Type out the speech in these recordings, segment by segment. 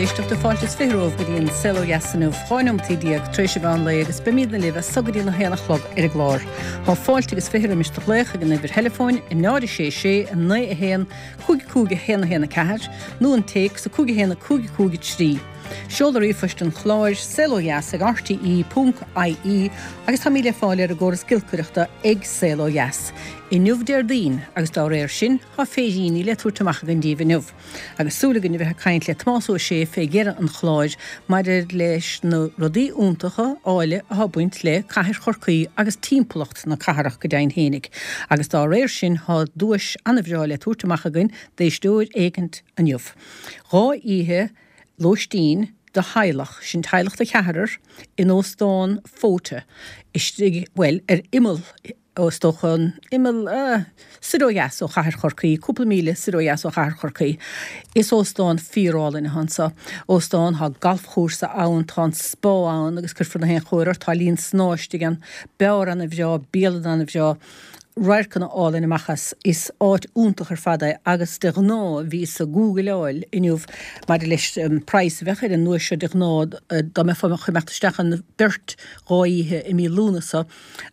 éisteachta, fáilte is 20 romhaibh go dtí an Saol Ó Dheas inniu, 12 neomataí tar éis an mheán lae agus beimídne libh as so go dtí an 1 a chlog ar an gclár. Tá fáilte agus 20 roimis do ghlaoch ag an uimhir theileafóin, 0 6 6 9 1 5 5 1 1 4 nó an téacs 5 1 5 5 3. Seoladh ríomhphoist an chláir, saolodheas ag rte ponc ie agus táimid le fáil ar an gcóras giolcaireachta ag Saol Ó Dheas. Inniu Déardaoin agus dá réir sin tá féiríní le tabhairt amach againn díbh inniu. Agus súil againn a bheith ag caint le Tomás Ó Sé fé dheireadh an chláir maidir leis na rudaí iontacha, áille atá ag baint le cathair Chorcaí agus timpeallacht na cathrach go deimhin fhéinig. Agus dá réir sin tá duais ana-bhreá le tabhairt amach againn d'éisteoir éicint inniu. 2 oíche lóistín do theaghlach, sin teaghlach de cheathrar, in Óstán Fota istigh, bhuel, ar imeall ó is dócha an imeall, eh, soir ó dheas ó chathair Chorcaí, cúpla míle soir ó dheas ó chathair Chorcaí. Is óstán fíorálainn atá anso. Óstán, tá galfchúrsa ann, tá an spá ann agus cuirfear na haon chóir ort, tá linn snámha istigh ann, beár ana-bhreá, bialann ana-bhreá, radharcanna álainn amach as. Is áit iontach ar fad é agus de ghnáth bhíos ag gúgaileáil inniu maidir leis an praghas a bheadh ar an nduais seo de ghnáth dá mbeifeá ag imeacht isteach ann beirt dhá oíche i mí Lúnasa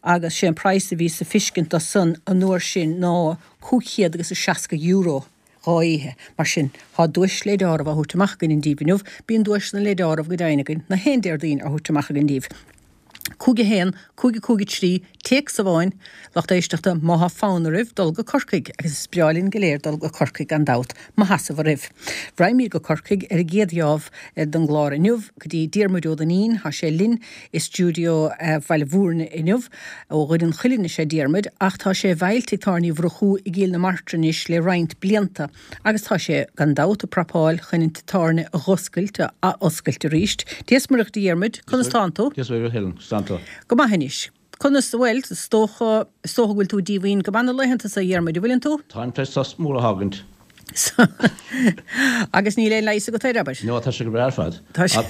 agus sé an praghas a bhíos ag fiscint dó san an uair sin ná €500 agus €60 dhá oíche. Mar sin, tá duais le deáramh á thabhairt amach againn díbh inniu. Bíonn duaiseanna le deáramh go deimhin againn na haon Déardaoin á thabhairt amach againn díbh. 5 1 5 5 3 Téacs amháin, lucht éisteachta, má thá fonn oraibh dul go Corcaigh, agus is breá linn go léir dul go Corcaigh gan dabht, má tha sibh oraibh. Raghaimid go Corcaigh ar an gcéad gheábh den gclár inniu, go dtí Diarmuid Ó Duinnín, thá sé linn i stiúideo Bhaile Mhúirne inniu. Ó Dhoire an Chuilinn is ea Diarmuid, ach tá sé i bhfeighil Tigh Tábhairne Uí Mhurchú i gCill na Martra anois le roinnt blianta, agus tá sé, gan dabht, ag prapáil chun an tigh tábhairne a dh'oscailt, a ath-oscailt arís. Dia 's Muire dhuit a Dhiarmuid, conas tánn tú? Dia 's Muire dhuit a Helen, conas tánn tú? Go maith anois. Conas, bhuel, is dócha, is dócha go bhfuil tú díomhaoin go maith na laethanta so, a Dhiarmuid, an bhfuileann tú? Táim tar éis sos mór a thágaint. Agus níl aon leigheas agat air, abair? No, tá sé go breá ar fad. Tá sé.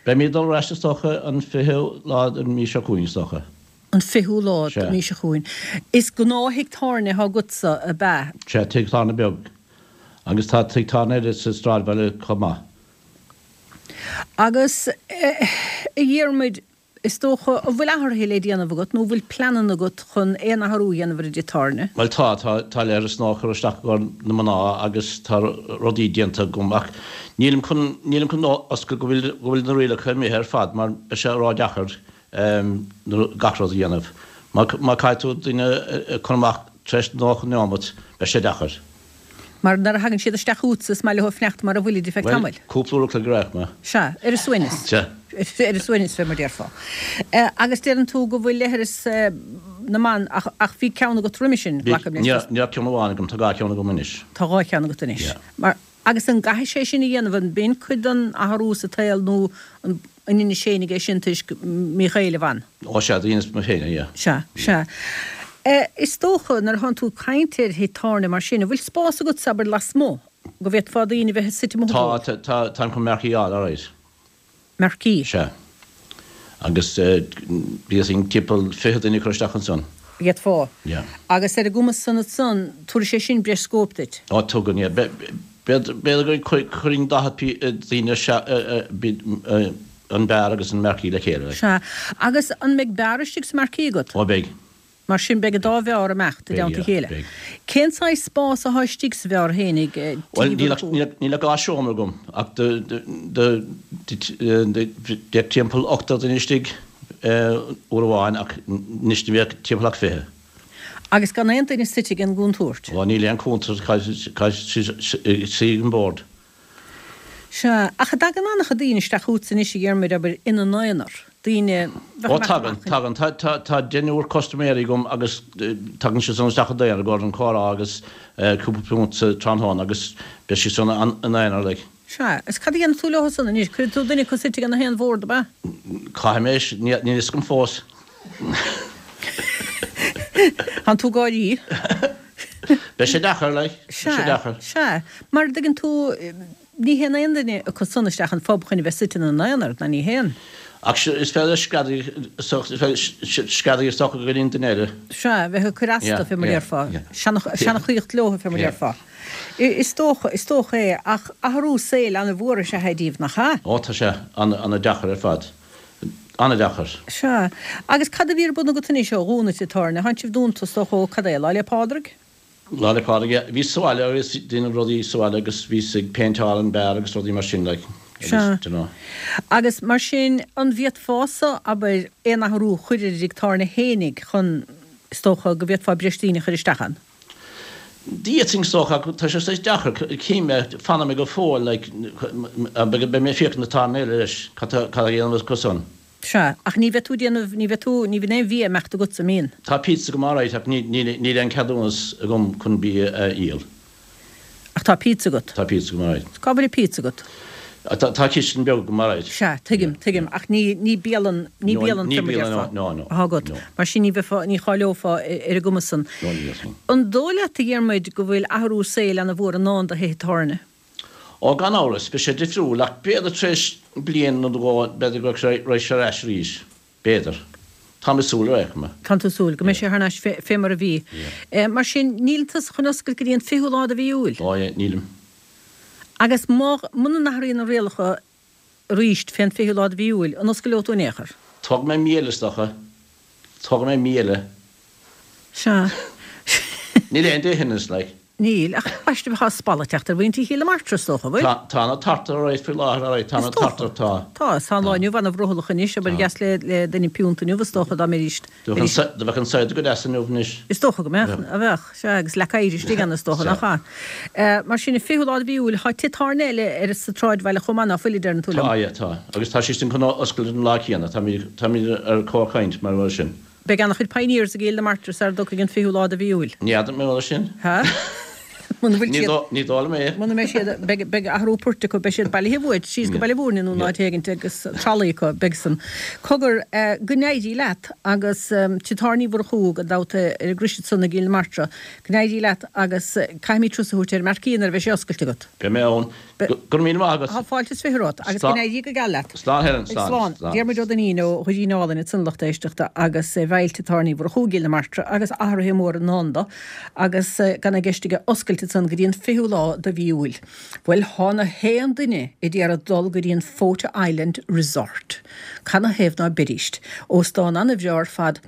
Beimid ag dul ar ais is dócha an 20ú lá den mhí seo chugainn, is dócha. An 20ú lá den mhí seo chugainn. Is gnáth-thigh tábhairne atá agatsa, ab ea? Sea, tigh tábhairne beag. Agus tá tigh tábhairne eile sa sráidbhaile chomh maith. Agus, a Dhiarmuid, Is dócha, an bhfuil athruithe le déanamh agat nó an bhfuil pleananna agat chun aon athrú a dhéanamh ar an dtigh tábhairne? Bhuel tá, tá, tá leithreas nua á chur isteach i gcomhair na mná agus tá rudaí déanta agam ach nílim chun, nílim chun oscailt go bhfuil, go bhfuil na rialacha imithe ar fad mar beidh sé ródheacair gach rud a dhéanamh. Má, má caithfidh tú duine a chur amach tar éis 90 neomat, beidh sé deacair. Mar nuair a thagann siad isteach chugatsa is maith leo fanacht mar a bhfuilid ar feadh tamaill. Bhuel, cúpla uair a chloig a raibh mé. Sea, ar a suaimhneas. Sea. Ar a suaimhneas, fé mar déarfá. Agus deireann tú go bhfuil leithreas na mban, ach, ach bhí ceann agat roimhe sin, glacaim leis. Ní, ní raibh ceann amháin agam, tá dhá cheann agam anois. Tá dhá cheann agat anois. Yeah. Mar, agus an gcaithfidh sé sin a dhéanamh, an b'in cuid den athrú sa tsaol nó an, An ndeinis fhéinig é sin toisc míchéille bhan? Ó sea, do dheineas mé féin é, yeah. Sea, sea. Is dócha, nuair atánn tú ag caint ar thigh tábhairne mar sin, an bhfuil spás agat, abair, lasmuigh, go bhféadfá daoine a bheith suite amuigh ag ól? Tá, tá, táim chun marquee a fháil, alright. Marquee? Sea. Agus d'fhéadfainn timpeall 20 duine a chur isteach ansan. D'fhéadfá. Yeah. Agus ar an gcuma san ansan, tabharfaidh sé sin breis scóip duit. Ó, tugann, yeah. B'fhéidir go gcuirfinn 40 daoine an beár agus an marquee le chéile. Sea. Agus an mbeidh beár istigh sa marquee agat? Ó, beidh. Mar sin beidh an dá bheár ag imeacht i dteannta a chéile. Beidh, yeah, beidh. Cén saghas spás athá istigh sa bheár fhéinig, Bhuel, níl ach, níl ach dhá seomra agam, ach bheadh timpeall ochtar duine istigh uair amháin ach anois ní bheadh timpeall ach 20. Agus gan aon duine suite ag an gcúntúirt. Ó, níl aon chúntúirt, caithfidh siad suí ag an bord. Sea, ach an dtagann an-chuid daoine isteach chugatsa anois, a Dhiarmuid, abair, ina n-aonar, daoine bheadh Ó, tagann, tagann. Tá, tá, tá deichniúr custaiméirí agam agus tagann siad san isteach i dtaonar i gcomhair an comhrá agus cúpla punt sa tráthnóna agus beidh siad san ina n-aonar, like. Sea, is cad a dhéanfaidh tú leo san anois? Cuirfidh tú duine acu suite ag na haon bhord, ab ea? Caithfidh mé, níl a fhios agam fós. Tánn tú ag gáirí. Beidh sé deacair, like. Beidh sé deacair. Sea, sea. Mar a dtuigeann tú, ní théann aon duine acu san isteach an phub chun a bheith suite ina n-aonar, ná ní théann. Ach is féidir screadaigh screadaigh is dócha go dtí an duine eile. Sea, bheith ag cur astu, fé mar a déarfá. Seanchaíocht leo, fé mar a déarfá. Is dócha, is dócha é, ach athrú saoil an-mhór is ea é díobh, nach ea? Ó, tá sé an-deacair ar fad. An-deacair. Sea. Agus cad a bhí ar bun agat anois ó dhúnadh tigh tábhairne? Tánn sibh dúnta, is dócha, ó cad é, Lá 'le Pádraig? Lá 'le Pádraig, yeah. Bhíos sa bhaile agus déanamh rudaí sa bhaile agus bhíos ag péinteáil an beár agus rudaí mar sin like agus Sea. do you know. Agus mar sin, an bhféadfása, abair, aon athrú a chur ar an dtigh tábhairne fhéinig chun, is dócha, go bhféadfá breis daoine a chur isteach ann? D'fhéadfainn is dócha ach tá sé saghas deacair, cím é, fanfaidh mé go fóill like beidh mé ag féachaint na tábhairne eile leis, cad tá cad a dhéanamh acu san. Sea, ach ní bheidh tú ag déanamh, ní bheidh tú, ní bheidh aon bhia ag imeacht agatsa, an mbíonn? Tá pizza agam alright ach ní, níl, níl aon ceadúnas agam chun bia a dhíol. Ach tá pizza agat? Tá pizza agam alright. Cá bhfuil an pizza agat? Tá, tá cistin beag agam alright. Sea, tuigim, tuigim, ach ní, ní bialann, ní No, bialann ní fé mar bialann, déarfá, no, no, atá agat. no. Mar sin ní bheifeá, ní cháileofá ar an gcuma san. No, ní bheifeá. An dóigh leat, a Dhiarmuid, go bhfuil athrú saoil ana-mhór i ndán do thithe tábhairne? Ó, gan amhras, beidh sé difriúil, ach b'fhéidir tar éis bliain nó dhó, b'fhéidir go rachaidh sé ar ais arís. B'fhéidir. Táim ag súil ar aon chuma. Tánn tú ag súil go mbeidh sé thar n-ais fé mar a bhí. Mar sin, níl tusa chun oscailt go dtí an fichiú lá de mhí Iúil? Ó, nílim. Agus má, muna n-athraíonn na rialacha arís fén fichiú lá de mhí Iúil, an oscaileoidh tú in aon chor? Tógfaidh mé mí eile, is dócha. Tógfaidh mé mí eile. Sea. Níl aon dliteanas, like. Níl, ach ambaiste tá spalladh ag teacht ar mhuintir Chill na Martra, is dócha, an bhfuil? Tá, tá ana tart alright faoi láthair, alright, tá ana tart, tá. Tá, is tá an lá inniu ana-bhrothallach anois, abair Tá. dheas le, le duine piúnta inniu, is dócha, dá mbeidís, Do bheadh an, do bheadh an cider go deas inniu anois. Is dócha go mbeadh, a bheadh, sea, agus leac oighir istigh ann, is dócha, Sea. nach ea? Mar sin, an fichiú lá de mhí Iúil, tá tigh tábhairne eile ar, sa tsráidbhaile chomh maith, ná fuil, a deireann tú liom? Tá, yeah, tá. Agus tá siad sin chun oscailt an lá céanna, táimid, táimid ar comhchaint mar bhfuil sin. Beidh ana-chuid pioneers i gCill na Martra sara dtiocfaidh an fichiú lá de mhí Iúil. Ní fheadar mé mar sin. Ha? Muna bhfuil siad. Ní dóigh liom é. Muna mbeidh siad, beidh, beidh athrú poirt acu, beidh siad bailithe uait síos go Baile Mhúirne nó in áit éigint agus tralaí acu, beidh san. Cogar, go n-éirí leat agus Tigh Tábhairne Uí Mhurchú gan dabht ar an gcrois ansan i gCill na Martra, go n-éirí leat agus caithfimid turas a thabhairt ar an Marquee nuair a bheidh sé oscailte agat. Beidh mé ann. Go raibh míle maith agat. Tá fáilte is 20 romhat agus go n-éirí go geal leat. Slán Helen, slán. Slán. Diarmuid Ó Duinnín ó Dhoirín Álainn ansan a lucht éisteachta agus é bhaill Tigh Tábhairne Uí Mhurchú i gCill na Martra agus athruithe móra i ndán dó agus gan i gceist aige oscailt ansan go dtí an 20ú lá de mhí Iúil. Bhuel thá na haon duine ag iarraidh dul go dtí an Fota Island Resort. Canathaobh ná beidíst? Óstán ana-bhreá ar fad.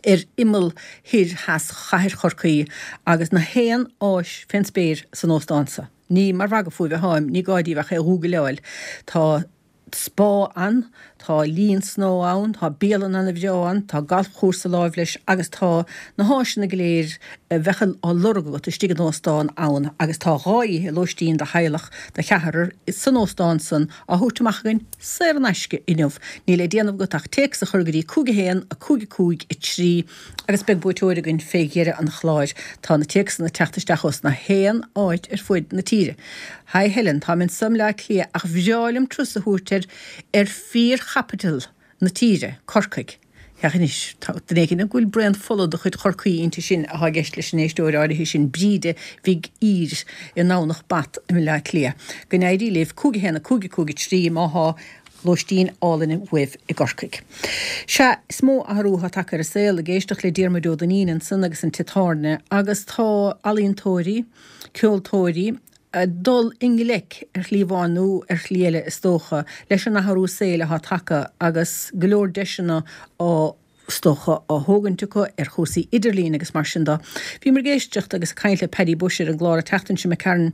ar imeall thoir theas chathair Chorcaí agus na haon áis fén spéir san óstán so. Ní mar mhagadh fúibh atháim, ní gá díbh ach é a ghúgaileáil. Tá spá ann, tá linn snámha ann, tá bialann ana-bhreá ann, tá galfchúrsa láimh leis agus tá na háiseanna go léir a bheadh á lorg agat istigh in óstán ann agus tá 2 oíche lóistín do theaghlach de cheathrar san óstán san á thabhairt amach againn saor in aisce inniu. Níl le déanamh agat ach téacs a chur go dtí 5 1 5 5 3 agus beidh buaiteoir againn fé dheireadh an chláir. Tá na téacsanna ag teacht isteach ós na haon áit ar fuaid na tíre. Hi Helen, táim anso i mBleá Cliath ach bhreá liom turas a thabhairt ar ar fíor-chapital na tíre, Corcaigh. Féach anois, tá duine éigin go bhfuil braon fola de chuid Chorcaí inti sin atá i gceist leis an éisteoir áirithe sin, Bríde Mhig Uidhir i nDomhnach Bat i mBleá Cliath. Go n-éirí libh, 5 1 5 5 3 má thá lóistín álainn uaibh i gCorcaigh. Sea, is mó athrú atá tagtha ar an saol, ag éisteacht le Diarmuid Ó Duinnín ansan agus an tigh tábhairne, agus tá ealaíontóirí, ceoltóirí, ag dul i ngleic, ar shlí amháin nó ar shlí eile is dócha, leis an athrú saoil atá tagtha agus go leor deiseanna á, is dócha, á thógaint acu ar chúrsaí idirlín agus mar sin de. Bhíomar ag éisteacht agus ag caint le Paddy Bushe ar an gclár an tseachtain seo imigh tharainn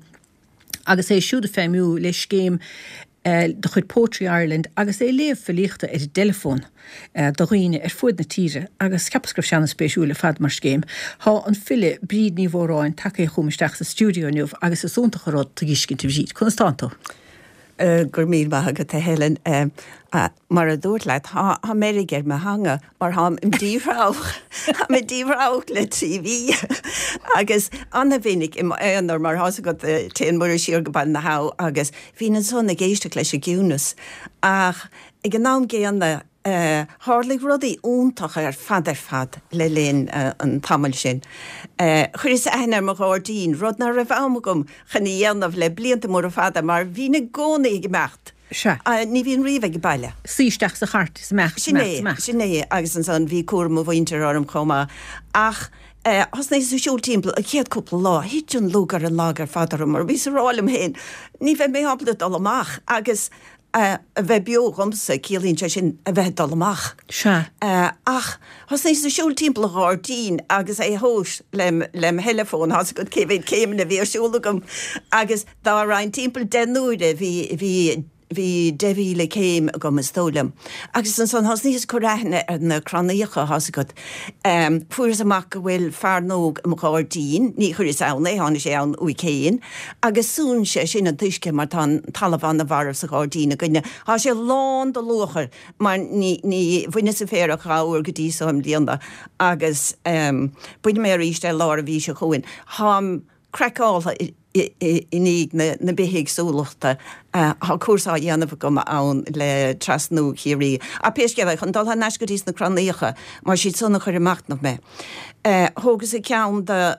agus é siúd ag feidhmiú le scéim de chuid Poetry Ireland agus é ag léamh filíochta ar an dteileafón do dhaoine ar fuaid na tíre agus cheapas go raibh sé an-spéisiúil ar fad mar scéim. Thá an file Bríd Ní Mhóráin tagtha chugam isteach sa stiúideo inniu agus is iontach an rud tú a dh'fheiscint a Bhríd. Conas tánn tú? Go raibh míle maith agat a Helen. Mar a dúrt leat, tá meirg ar mo theanga mar táim im díthreabhach, táim im díthreabhach le 3 mhí agus ana-mhinic i m'aonar mar tá's agat téann Muire siar go Baile na hAbha agus bhínn ansan ag éisteacht leis an gciúnas ach ag an am gcéanna tharlaigh rudaí iontacha ar fad ar fad le linn an tamaill sin. Chuireas aithne ar mo ghairdín, rud ná raibh am agam chun a dhéanamh le blianta móra fada mar bhínn i gcónaí ag imeacht. Sea. Ní bhínn riamh ag baile. Suí isteach sa chairt is imeacht, Sin imeacht, é, imeacht. sin é agus ansan bhí cúram mo mhuintir orm chomh maith. Ach thosnaíos ag siúl timpeall an chéad cúpla lá, thit an lúth ar an lag ar fad orm mar bhíos ag rá liom féin, ní bheidh mé ábalta dul amach agus a bheith beo dhomsa, ciallaíonn sé sin a bheith ag dul amach. Sea. Ach thosnaíos ag siúl timpeall an ghairdín agus é a thomhas lem, lem theileafón, tá's agat cé mhéad céimeanna a bhí ar siúl agam agus dá raghainn timpeall 10 n-uaire bhí, bhí, bhí 10,000 céim agam is dóigh liom. Agus ansan thosnaíos ag cur aithne ar na crannaíocha, tá's agat. Fuaireas amach go bhfuil fearnóg i mo ghairdín, ní chuireas ann é, tháinig sé ann uaidh féin, agus súnn sé sin an t-uisce mar tá an talamh ana-mharbh sa ghairdín againne. Tá sé lán de luachair mar ní, ní, bhaineas an féar ach dhá uair go dtí so i mbliana agus bainfidh mé arís é lár an mhí seo chugainn. Táim craiceáltha i ndiaidh na bithéagsúlachta. Tá cúrsa á dhéanamh agam ann le Trasnú Chiarraí. Ach pé scéal é, chun dul thar n-ais go dtí sna crannaíocha, mar siad san a chuir ag machnamh mé. Thógas-sa ceann de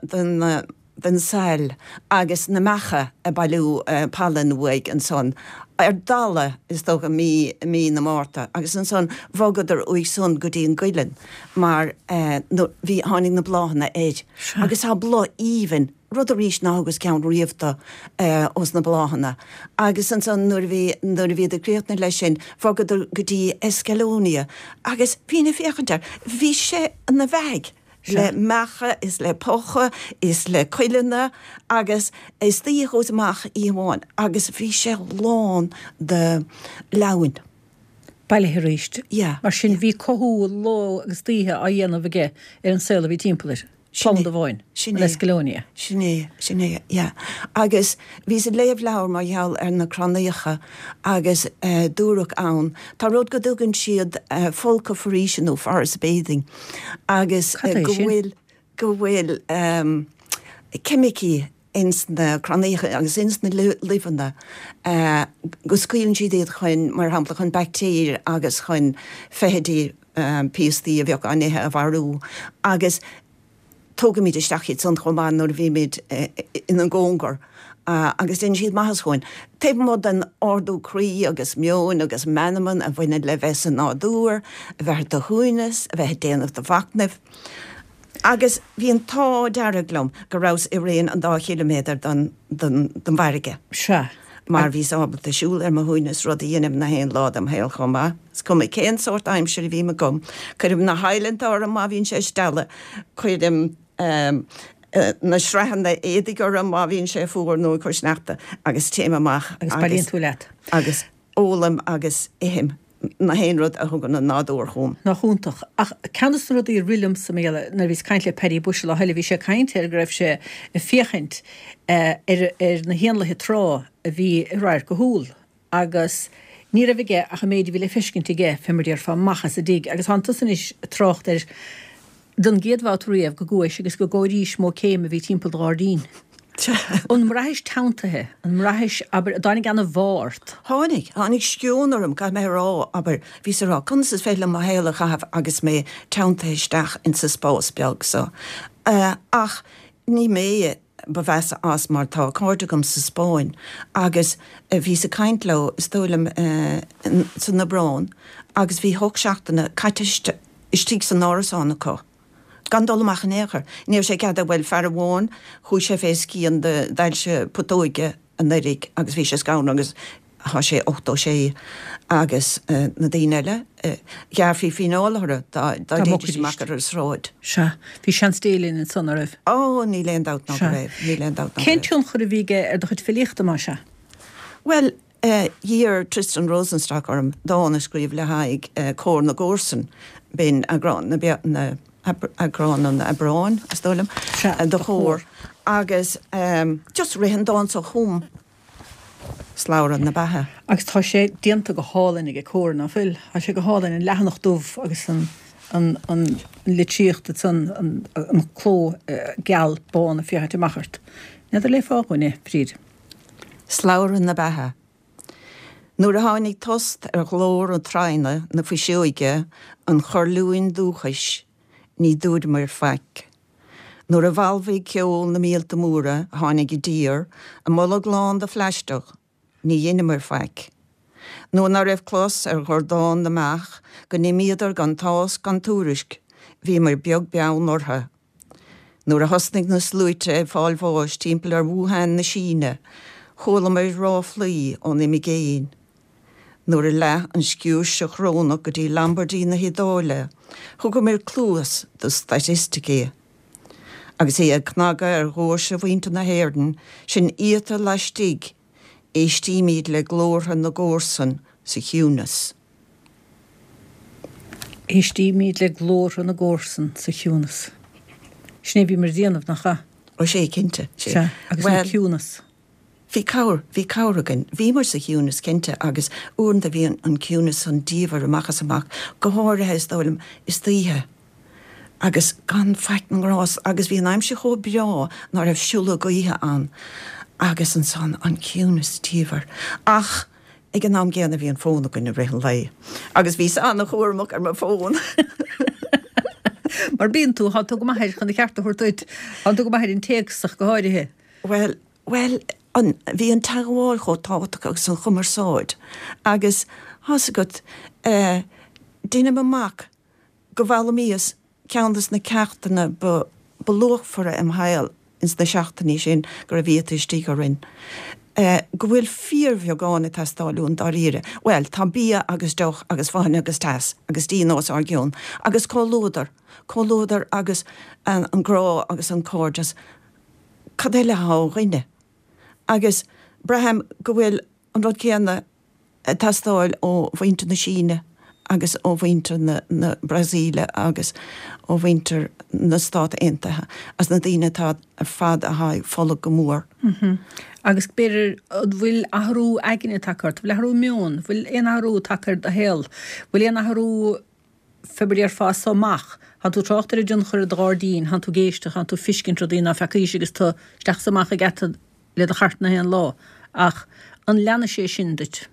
den sail agus na mbeacha ag bailiú pailin uaidh ansan ar dalladh, is dócha, mí mí na Márta agus ansan bhogadar uaidh san go dtí an gcuileann mar bhí, tháinig na bláthanna air agus tá bláth aoibhinn, rud arís ná thugas ceann riamh do ós na bláthanna. Agus ansan nuair a bhí, nuair a bhíodar críochnaithe leis sin, bhogadar go dtí Escallonia agus bhínn ag féachaint air, bhí sé ina bheathaidh le mbeacha is le pucha is le cuileanna agus istoíche chuas amach oíche amháin agus bhí sé lán de leamhain. Bailithe arís. Yeah. Mar sin bhí cothú ló agus d'oíche á dhéanamh aige ar an saol a bhí timpeall air. Planda amháin. Sin An é. Escallonia. Sin é, sin é, yeah. Agus bhíos ag léamh leabhar mar gheall ar na crannaíocha agus dúradh ann, tá rud go dtugann siad folcadh foraoise nó forest bathing agus Cad é go sin? bhfuil, go bhfuil ceimicí ins na crannaíocha agus ins na luibheanna go scaoileann siad iad chun, mar shampla, chun baictéir agus chun feithidí, piastaí a bheadh á n-ithe a mharú agus tógaimid isteach iad san chomh maith nuair a bhímid ina gcóngar agus déanann siad maitheas dhúinn. Taobh amuigh den ardú croí agus meoin agus meanman a bhaineann le bheith sa nádúr, a bheith ar do shuaimhneas, a bheith ag déanamh do mhachnaimh. Agus bhí an t-ádh dearg liom go rabhas i raon an dá chiliméadar den bhfarraige. Sea. Mar bhíos ábalta siúl ar mo shuaimhneas, rud a dheinim na haon lá dem shaol chomh maith. Is cuma cén sórt aimsire a bhím agam, cuirim na hadhlanta orm má bhíonn sé ag stealladh, cuirim na sraitheanna éadaigh orm má bhíonn sé fuar nó ag cur sneachta agus téim amach agus. Agus bailíonn tú leat. Agus ólaim agus ithim. na haon rud a thugann an nádúr chugam. Nach iontach. Ach ceann de na rudaí a rith liomsa mar gheall nuair a bhíos ag caint le Paddy Bushe lá eile, bhí sé ag caint ar go raibh sé ag féachaint ar ar na héanlaithe trá a bhí i radharc a shúl agus ní raibh aige ach an méid a bhí le feiscint aige, fé mar a déarfá, amach as an dtigh. Agus tánn tusa anois ag trácht air don gcéad bhabhta riamh go gcuais agus go gcomhairís mó céim a bhí timpeall do ghairdín. An mbraithis teanntaithe? An mbraithis, abair, an dtáinig anbhá ort? Tháinig. Tháinig sceon orm, caithfidh mé a rá, abair, bhíos ag rá, conas is féidir liom mo shaol a chaitheamh agus mé teanntaithe isteach insa spás beag so. Ach ní mé ba mheasa as mar tá cairde agam sa Spáinn agus bhíos ag caint leo, is dóigh liom, san Aibreán agus bhí hocht seachtaine caite istigh san árasán acu, gan dul amach in aon chor. Ní raibh sé ceadaithe, bhuel, fear amháin, chuaigh sé fé scian d'ailse putóige anuraidh agus bhí sé scanraithe agus tá sé 86 agus na daoine eile, ghearrfaí fíneáil orthu dá dtéidís amach ar an sráid. Sea. Bhí seans Dé linn ansan, an raibh? Ó, níl aon dabht ná go raibh, níl aon dabht ná go raibh. Cén tionchar a bhí aige ar do chuid filíochta, más ea? Bhuel, D'iarr Tristan Rosenstock orm dán a scríobh le haghaidh Comhar na gComharsan, b'in eagrán na eagrán an Aibreáin, is dóigh liom, de Chomhar, agus just rith an dán so chugam, Slabhra na Beatha. Agus tá sé déanta go hálainn aige Comhar, ná fuil? Tá sé go hálainn, an leathanach dubh agus an an an litríocht ansan, an an cló geal bán ag féachaint amach ort. N'fheadar an léifeá dhúinn é, Bríd? Slabhra na Beatha. Nuair a tháinig tost ar ghlór an traona na fuiseoige an chorrliúin dúchais ní dúramar faic. Nuair a bhalbhaigh ceol na míolta móra a tháinig i dtír, a mbolg lán de phlaisteach, ní dheineamar faic. Nuair ná raibh clos ar dhordán na mbeach, go n-imíodar gan tásc gan tuairisc, bhíomair beag beann orthu. Nuair a thosnaigh na sluaite ag fáil bháis timpeall ar Wuhan na Síne, chualamair ráflaí ón imigéin. Nuair a leath an sciúirse chorónach go dtí Lombardy na hIodáile, thugamair cluas do staitisticí. Agus é ag cnagadh ar dhoirse mhuintir na hÉireann, sinn iata laistigh, éistímid le glórtha na gcomharsan sa chiúnas. Éistímid le glórtha na gcomharsan sa chiúnas. Sin é a bhíomar a déanamh, nach ea? Ó sea, cinnte. Sea, agus an ciúnas. Bhí cabhair, bhí cabhair againn. Bhíomar sa chiúnas, cinnte, agus uaireanta bhí an ciúnas san diamhair amach is amach, go háirithe, is dóigh liom, istoíche. Agus gan faic na ngrást, agus bhí an aimsir chomh breá ná raibh siúlóid gaoithe ann. Agus ansan an ciúnas diamhair. Ach ag an am gcéanna bhí an fón againn i rith an lae. Agus bhíos an-chúramach ar mo fón. Mar bíonn tú, tá tú go maith air, chun a cheart a thabhairt duit, tá tú go maith ar an téacs ach go háirithe. Bhuel, Bhuel, an, bhí an teagmháil chomh tábhachtach agus an chumarsáid agus, thá's agat, eh, deinim amach go bhfoghlaimíos ceann des na ceachtanna ba, ba luachmhaire im shaol ins na seachtainí sin go raibh iata istigh orainn. Eh, go bhfuil fíorbheagán ag teastáil uainn dáiríre. Bhuel, tá bia agus deoch agus fáinne agus teas agus díon os ár gcionn agus comhluadar, comhluadar agus an, an grá agus an cairdeas. Cad eile atá ó dhuine? Agus braithim go bhfuil an rud céanna ag teastáil ó mhuintir na Síne agus ó mhuintir na Brasaíle agus ó mhuintir na Stát Aontaithe agus na daoine atá ar fad atá ag fulaingt go mór. Agus b'fhéidir, an bhfuil athrú aigne tagtha ort? Bhfuil athrú meoin? Bhfuil aon athrú tagtha ar do shaol? Bhfuil aon athrú fé mar a déarfá as so amach. Thánn tú ag trácht ar an dtionchar ar do ghairdín, thánn tú ag éisteacht, thánn tú ag fiscint rudaí ná feacaís agus tú isteach is amach ag ata le do chairt na haon lá. Ach an leanfaidh sé sin duit?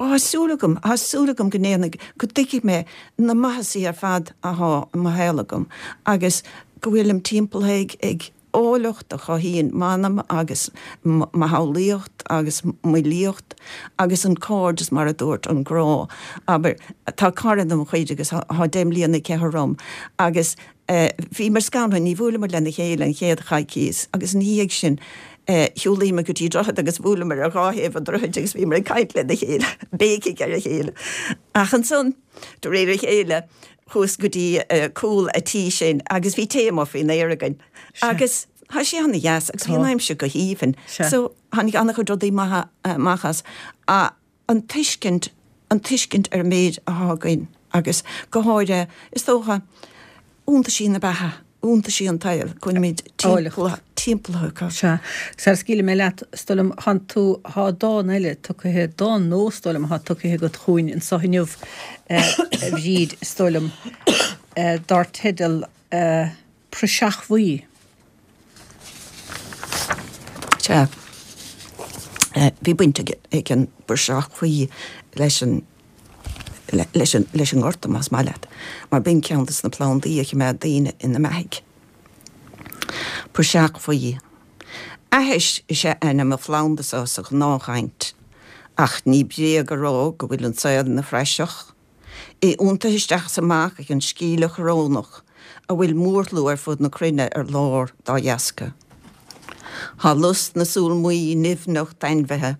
Ó, tá súil agam, tá súil agam go ndéanfaidh, go dtuigfidh mé na maitheasaí ar fad athá i mo shaol agam agus go bhfuilim timpeallaithe ag, ag áilleacht a chothaíonn m'anam agus mo shamhlaíocht agus m'fhilíocht agus an cairdeas, mar a dúirt, an grá. Abair, tá cara de mo chuid agus thá deich mbliana aici orm agus bhíomar scanraithe, ní bhuaileamar lena chéile an chéad choicíos agus ina dhiaidh sin shiúlaíomar go dtí droichead agus bhuaileamar ar dhá thaobh an droichid agus bhíomar ag caint lena chéile, béicigh ar a chéile. Ach ansan, de réir a chéile, chuas go dtí cúl a' tí sin agus bhí tae amuigh faoin aer againn agus thá sé ana dheas agus bhí an aimsir go haoibhinn. So tháinig ana-chuid rudaí maithe amach as. An tuiscint, an tuiscint ar an méid athá againn agus go háirithe, is dócha, iontaisí na beatha, iontaisí an tsaoil, go bhfuilimid timpeallaithe acu. Sea. Sara scaoilfidh mé leat, is dóigh liom, thánn tú, thá dán eile tugtha, dán nó, is dóigh liom, athá tugtha agat chugainn anso inniu, a Bhríd, is dóigh liom, dar teideal Praiseach Bhuí. Sea. Bhí baint ag an bpraiseach bhuí leis an leis an leis an ngorta, más maith leat, mar b'in ceann de na plandaí a choimeád daoine ina mbeathaigh. Praiseach bhuí. Aithis is ea ainm an phlanda so sa ghnáthchaint, ach ní bréag a rá go bhfuil an saol ina phraiseach, é iontaithe isteach is amach ag an scíle chorónach a bhfuil mórshlua ar fud na cruinne ar lár dá dheasca. Thá lus na súl maí nimhneach d'ainmhithe.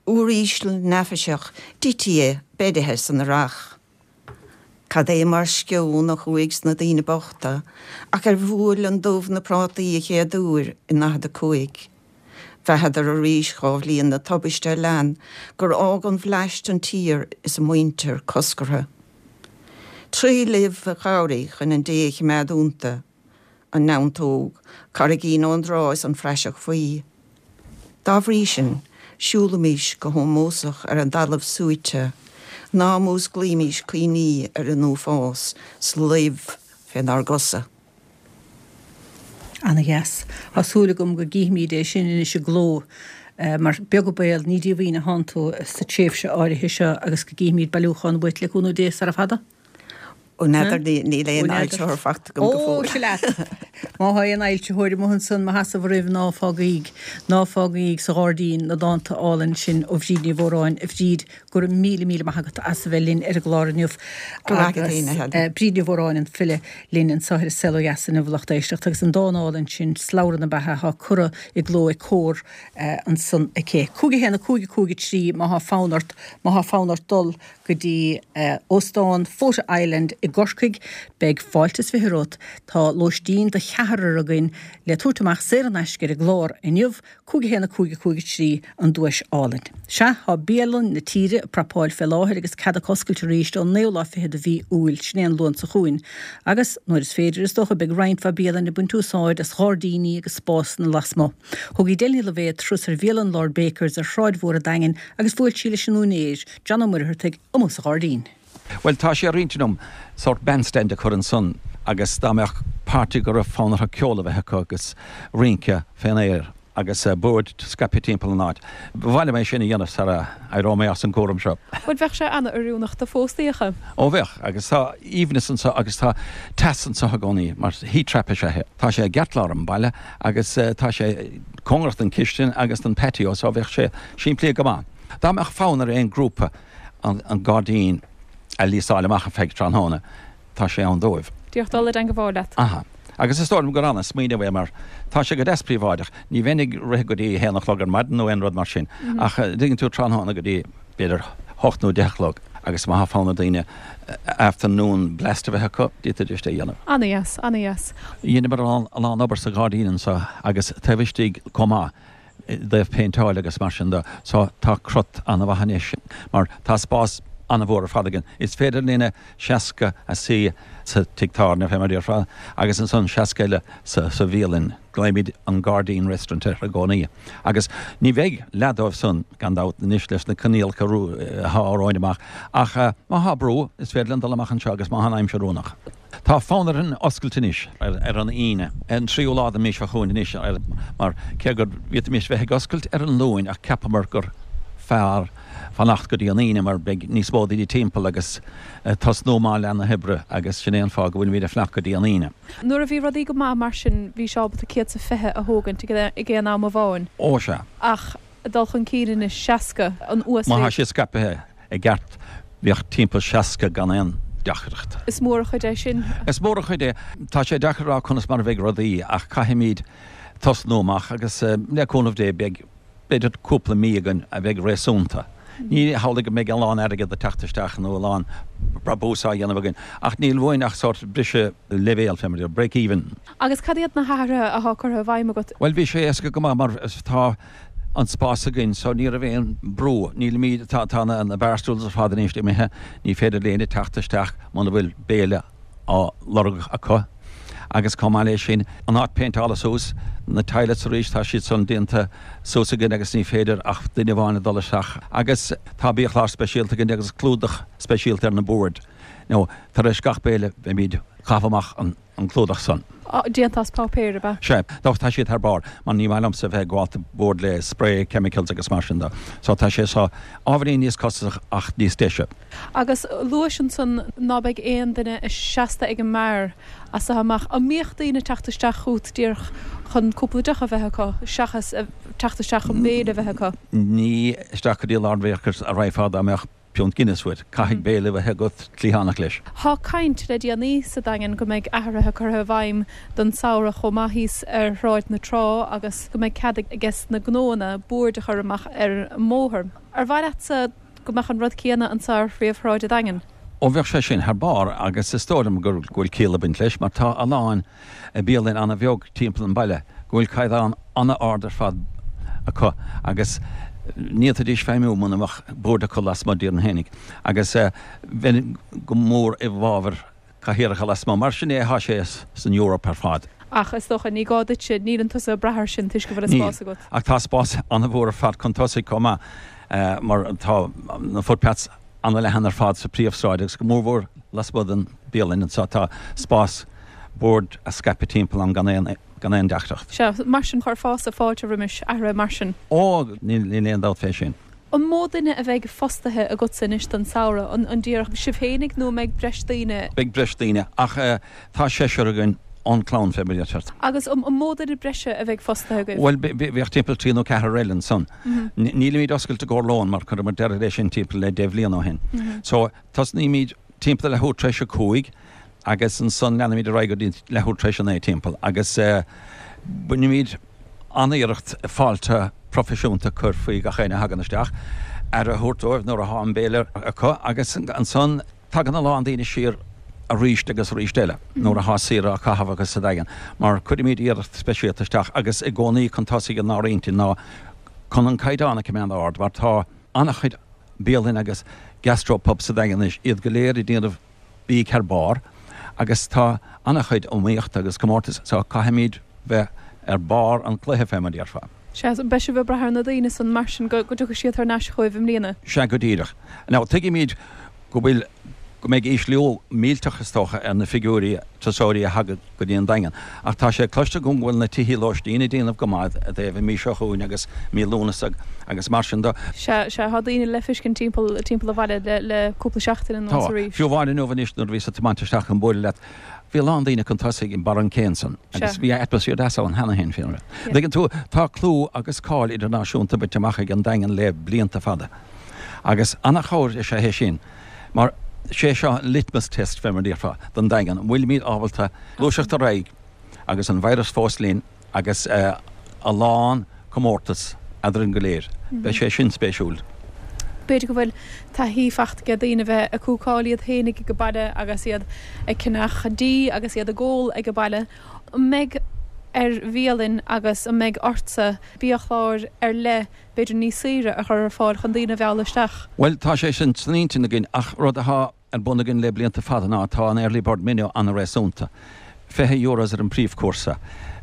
Úiríseal neafaiseach d'ití beirithe san earrach. Cad é mar sceon a chuaigh sna daoine bochta ach ar bhuail an dubh na prátaí a chéad uair i 45. Bheathadar arís dhá bhliain na tubaiste a lean gur fhág an bhleaist an tír is a muintir coscartha. Tré luibh a chabhraigh chun an dé a chimeád iontu. an neantóg, carraigín ón dtrá is an phraiseach bhuí. Dá bhrí sin, siúlaimís go hómósach ar an dtalamh suaite, ná músclaímís cuimhní ar an uafás 's luibh fénár gcosa. Ana dheas. Tá súil agam go gcífimíd é sin anois i gcló, mar beag an baol, ní díomhaoin a thánn tú sa tréimhse áirithe seo agus go gcífimíd bailiúchán uait le cúnamh Dé sara fada. Ó n'fheadar, níl aon fhoilsitheoir faighte agam go fóill. Ó, sea leat! Má thá aon fhoilsitheoir amuigh ansan mo sheasamh oraibh ná fágaíg, ná fágaíg sa ghairdín na dánta álainn sin ó Bhríd Ní Mhóráin. A Bhríd, go raibh míle míle maith agat as a bheith linn ar an gclár inniu. Go raibh maith agat féin, a Helen. Bríd Ní Mhóráin, an file, linn anseo ar An Saol Ó Dheas inniu, a lucht éisteachta, agus an dán álainn sin, Slabhra na Beatha, atá curtha i gcló ag Comhar ansan aici. 5 1 5 5 3 má thá fonn ort, má thá fonn ort dul go dtí Óstán Fota Island i gCorcaigh. Beidh fáilte is 20 romhat. Tá lóistín do cheathrar againn le tabhairt amach saor in aisce ar an gclár inniu, 5 1 5 5 3 an duais álainn. Sea, tá bialann na tíre ag prapáil fé láthair agus cead acu oscailt arís ón naoú lá fichead de mhí Iúil, sin é an Luan seo chugainn. Agus, nuair is féidir, is dócha, beidh roinnt mhaith bialann ag baint úsáid as ghairdíní agus spásanna lasmuigh. Thug Edel Ní Loibhéad turas ar bhialann Lord Bakers ar Shráid Mhór an Daingin agus bhuail sí leis an úinéir, John Ó Muircheartaigh, amuigh sa ghairdín. Bhuel, tá sé ar intinn agam sórt bandstand a chur ansan agus dá mbeadh party go raibh fonn orthu ceol a bheith acu agus rince fén aer agus boird scaipthe timpeall an áit. Ba mhaith liom é sin a dhéanamh sara éireoidh mé as an gcúram seo. Bhuel, bheadh sé an-oiriúnach do phóstaíocha. Ó bheadh, agus tá aoibhneas anso agus tá teas anso i gcónaí mar heat trap is ea é. Tá sé i gceartlár an bhaile agus tá sé cóngarach don chistin agus don patio so bheadh sé simplí go maith. Dá mbeadh fonn ar aon ghrúpa an gairdín a líosáil amach ar feadh tráthnóna, tá sé ann dóibh. Díreach dul i dteangabháil leat. Aha. Agus is dóigh liom gur ana-smaoineamh é mar tá sé go deas príobháideach. Ní bheinn ag rith go dtí a haon a chlog ar maidin nó aon rud mar sin ach dtuigeann tú tráthnóna go dtí b'fhéidir hocht nó deich a chlog agus má tá fonn ar daoine afternoon blast a bheith acu, d'fhéadfaidís é a dhéanamh. Ana-dheas, ana-dheas. Dheineamar a lán obair sa ghairdín anseo agus taobh istigh chomh maith. i dtaobh péinteáil agus mar sin de. So tá crot an-mhaith anois mar tá spás an-mhór ar fad againn. Is féidir linne 60 a suí sa tigh tábhairne, fé mar a déarfá, agus ansan 60 eile sa bhialann. Glaoimid an Gairdín Restaurant air i gcónaí. Agus ní bheidh leath dóibh san, gan dabht, anois leis na coinníollacha atá romhainn amach. Ach má thá brú, is féidir linn dul amach anseo agus má thá an aimsir oiriúnach. Tá fonn orainn oscailt anois ar an Aoine, an tríú lá den mhí seo chugainn anois, mar cé go bhféadfaimis bheith ag oscailt ar an Luain ach cheapamar gur fearr fanacht go dtí an Aoine mar beidh níos mó daoine timpeall agus tosnú amach leath na hoibre agus sin é an fáth go bhfuilimid ag fanacht go dtí an Aoine. Nuair a bhí rudaí go maith mar sin bhí sé ábalta 120 a thógaint ag aon am amháin. Ó sea. Ach dul chun cinn anois, 60, an uasmhéid. Má thá sé scaipthe i gceart bheadh timpeall 60 gan aon deacracht. Is mór an chuid é sin. Is mór an chuid é. Tá sé deacair a rá conas mar a bheidh rudaí ach caithfimid tosnú amach agus le cúnamh Dé beidh b'fhéidir cúpla mí againn a bheidh réasúnta. Ní hamhlaidh go mbeidh a lán airgead ag teacht isteach nó a lán brabús á dhéanamh againn ach níl uainn ach sórt briseadh leibhéal, fé mar a déarfá, break even. Agus cad iad na hathruithe athá curtha i bhfeidhm agat? Bhuel bhí sé éasca go maith mar tá an spás againn so ní raibh aon brú. Nílimid, tá, tá na, na bar stools ar fad anois imithe, ní féidir le éinne teacht isteach muna bhfuil béile á lorg acu. Agus chomh maith leis sin, an áit péinteála suas, na toilets arís, tá siad san déanta suas againn agus ní féidir ach duine amháin a dul isteach. Agus tá biachlár speisialta againn agus clúdach speisialta ar na boird. Nó tar éis gach béile beimid ag caitheamh amach an. an clúdach san. Déanta as páipéar, ab ea? Sea. Nó tá siad thar barr, mar ní maith liomsa bheith ag gabháil do bord le spray chemicals agus mar sin de. So tá sé seo ábhairín níos costasach ach níos deise. Agus luais ansan ná beidh aon duine seasta ag an mbeár as so amach. An mbíodh daoine ag teacht isteach chugat díreach chun cúpla deoch a bheith acu seachas teacht isteach chun béile a bheith acu? Ní isteach go dtí Lord Bakers a raghfá dá mbeadh Piúnt Guinness uait. Caithfidh béile a bheith agat cliathánach leis. Thá caint le déanaí sa Daingean go mbeidh athruithe curtha i bhfeidhm don samhradh chomh maith thíos ar Shráid na Trá agus go mbeidh cead ages na gnóanna boird a chur amach ar an mbóthar. Ar mhaith leatsa go mbeadh an rud céanna anseo ar phríomhshráid an Daingin? Ó bheadh sé sin thar barr agus is dóigh liom go bhfuil ciall ag baint leis mar tá a lán bialann ana-bheag timpeall an bhaile go bhfuil caighdeán ana-ard ar fad acu agus ní fhéadfaidís feidhmiú muna mbeadh boird acu lasmuigh díreach fhéinig agus bheinn go mór i bhfabhar cathaoireacha lasmuigh mar sin é atá sé san Eoraip ar fad. Ach is dócha, ní gá duitse, níleann tusa ag brath air sin toisc go bhfuil an spás agat. Níl, ach tá spás ana-mhór ar fad chun tosaigh chomh maith mar tá na footpaths ana-leathan ar fad sa phríomhshráid agus go mórmhór lasmuigh den bialann anseo tá spás boird a scaipeadh timpeall ann gan aon gan aon deacracht. Sea, mar sin chuirfeása fáilte roimis athruithe mar sin. Ó, níl aon dabht fé sin. An mó duine a bheidh fostaithe agatsa anois don samhradh? An díreach sibh fhéinig nó an mbeidh breis daoine? Beidh breis daoine, ach tá seisear againn ón clann fé mar a deirtear. Agus an mó duine breise a bheidh fostaithe agaibh? Bhuel, bheadh timpeall trí nó ceathrar eile ansan. Nílimid oscailte i gcomhair lóin mar chuireamar deireadh leis sin timpeall le deich bhliain ó shin. So, tosnaímid timpeall leathuair tar éis a cúig agus ansan leanaimid ar aghaidh go dtí leathuair tar éis a naoi timpeall agus bainimid an-iarracht fáilte proifisiúnta a chur faoi gach éinne a thagann isteach, aire a thabhairt dóibh nuair atá an béile acu agus ansan tagann a lán daoine siar arís agus arís eile nuair atá saoire á caitheamh acu sa Daingean mar cuirimid iarracht speisialta isteach agus i gcónaí chun tosaigh inár intinn ná chun an caighdeán a choimeád ard mar tá an-chuid bialann agus gastropubs sa Daingean anois, iad go léir ag déanamh bídh thar barr agus tá an-chuid iomaíochta agus comórtais so caithfimid bheith ar barr an chluiche fé mar a déarfá. Sea, so beidh sibh ag brath ar na daoine san mar sin go dtiocfaidh siad thar n-ais chugaibh i mbliana? Sea, go díreach. Now tuigimid go bhfuil, go mbeidh ísliú millteach is dócha ar na figiúirí turasóirí a thagann go dtí an Daingean. Ach tá sé cloiste agam go bhfuil na tithí lóistín ag déanamh go maith i dtaobh an mhí seo chugainn agus mí Lúnasa agus mar sin de. Sea, sea, tá daoine le feiscint timpeall, timpeall an bhaile le, le cúpla seachtain anuas Tá. arís. Fiú amháin inniu anois nuair a bhíos ag tiomáint isteach chun bualadh leat, bhí a lán daoine chun tosaigh i mbarr an cé ansan agus bhí atmaisféar deas ann cheana féin fé mar a dtuigeann tú, tá clú agus cáil idirnáisiúnta bainte amach ag an Daingean le blianta fada agus an-chabhair is ea é sin. Mar sé seo an litmus test, fé mar a déarfá, don Daingean, an bhfuilimid ábalta gluaiseacht ar aghaidh agus an virus fós linn agus a lán comórtas eadrainn go léir. Beidh sé sin spéisiúil. B'fhéidir go bhfuil taithí fachta ag daoine bheith ag cúcáil iad féinig ag baile agus iad ag ceannach dí agus iad ag ól ag baile. An mbeidh ar bhialann agus an mbeidh ortsa biachláir ar leith b'fhéidir níos saoire a chur ar fáil chun daoine a mhealladh isteach. Bhuel, tá sé sin san intinn againn ach rud atá ar bun againn le blianta fada ná tá an early bird menu an-réasúnta. €20 euros ar an príomhchúrsa,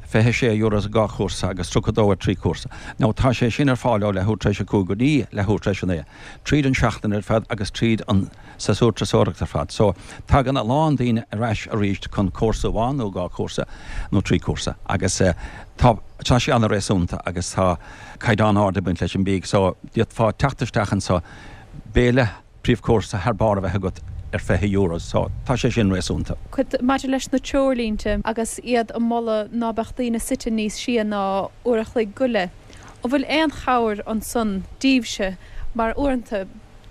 26 euros ar dhá chúrsa agus 32 ar thrí chúrsa. Now tá sé sin ar fáil ó leathuair tar éis a cúig go dtí leathuair tar éis a naoi, tríd an seachtain ar fad agus tríd an séasúr turasóireachta ar fad. So, tagann a lán daoine ar ais arís chun cúrsa amháin nó dhá chúrsa nó trí chúrsa agus tá tá sé an-réasúnta agus tá caighdeán ard ag baint leis an bídh so d'fhéadfá teacht isteach anso, béile príomhchúrsa thar barr a bheith agat ar 20 euros so tá sé sin réasúnta. Maidir leis na treoirlínte agus iad ag moladh ná beadh daoine suite níos sia ná uair a chloig go leith, an bhfuil aon chabhair ansan díbhse mar uaireanta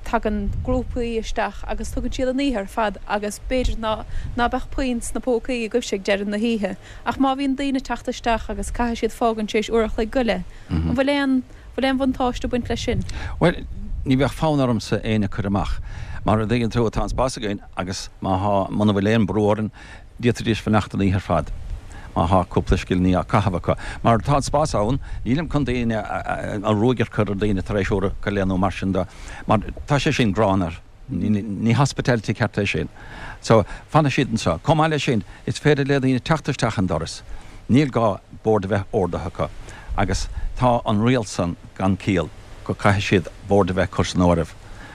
tagann grúpaí isteach agus tugann siad an oíche ar fad agus b'fhéidir ná ná beadh puinn sna pócaí agaibhse ag deireadh na hoíche ach má bhíonn daoine ag teacht isteach agus caithfidh siad fágaint tar éis uair a chloig go leith, an bhfuil aon bhfuil aon bhuntáiste ag baint leis sin? Bhuel, ní bheadh fonn ormsa éinne a chur amach. Mar a dtuigeann tú, tá an spás againn agus má thá, muna bhfuil aon brú orainn, D'fhéadfaidís fanacht an oíche ar fad má thá cúpla scilliní á caitheamh acu. Mar tá an spás ann, nílim chun daoine, an ruaig a chur ar daoine tar éis uair go leith nó mar sin de, mar tá sé sin gránna. Ní hospitality ceart é sin. So, fanfaidh siad anseo. Chomh maith leis sin, is féidir le daoine teacht isteach an doras. Níl gá bord a bheith ordaithe acu. Agus tá an riail san gan ciall, go caithfidh siad bord a bheith curtha san áireamh.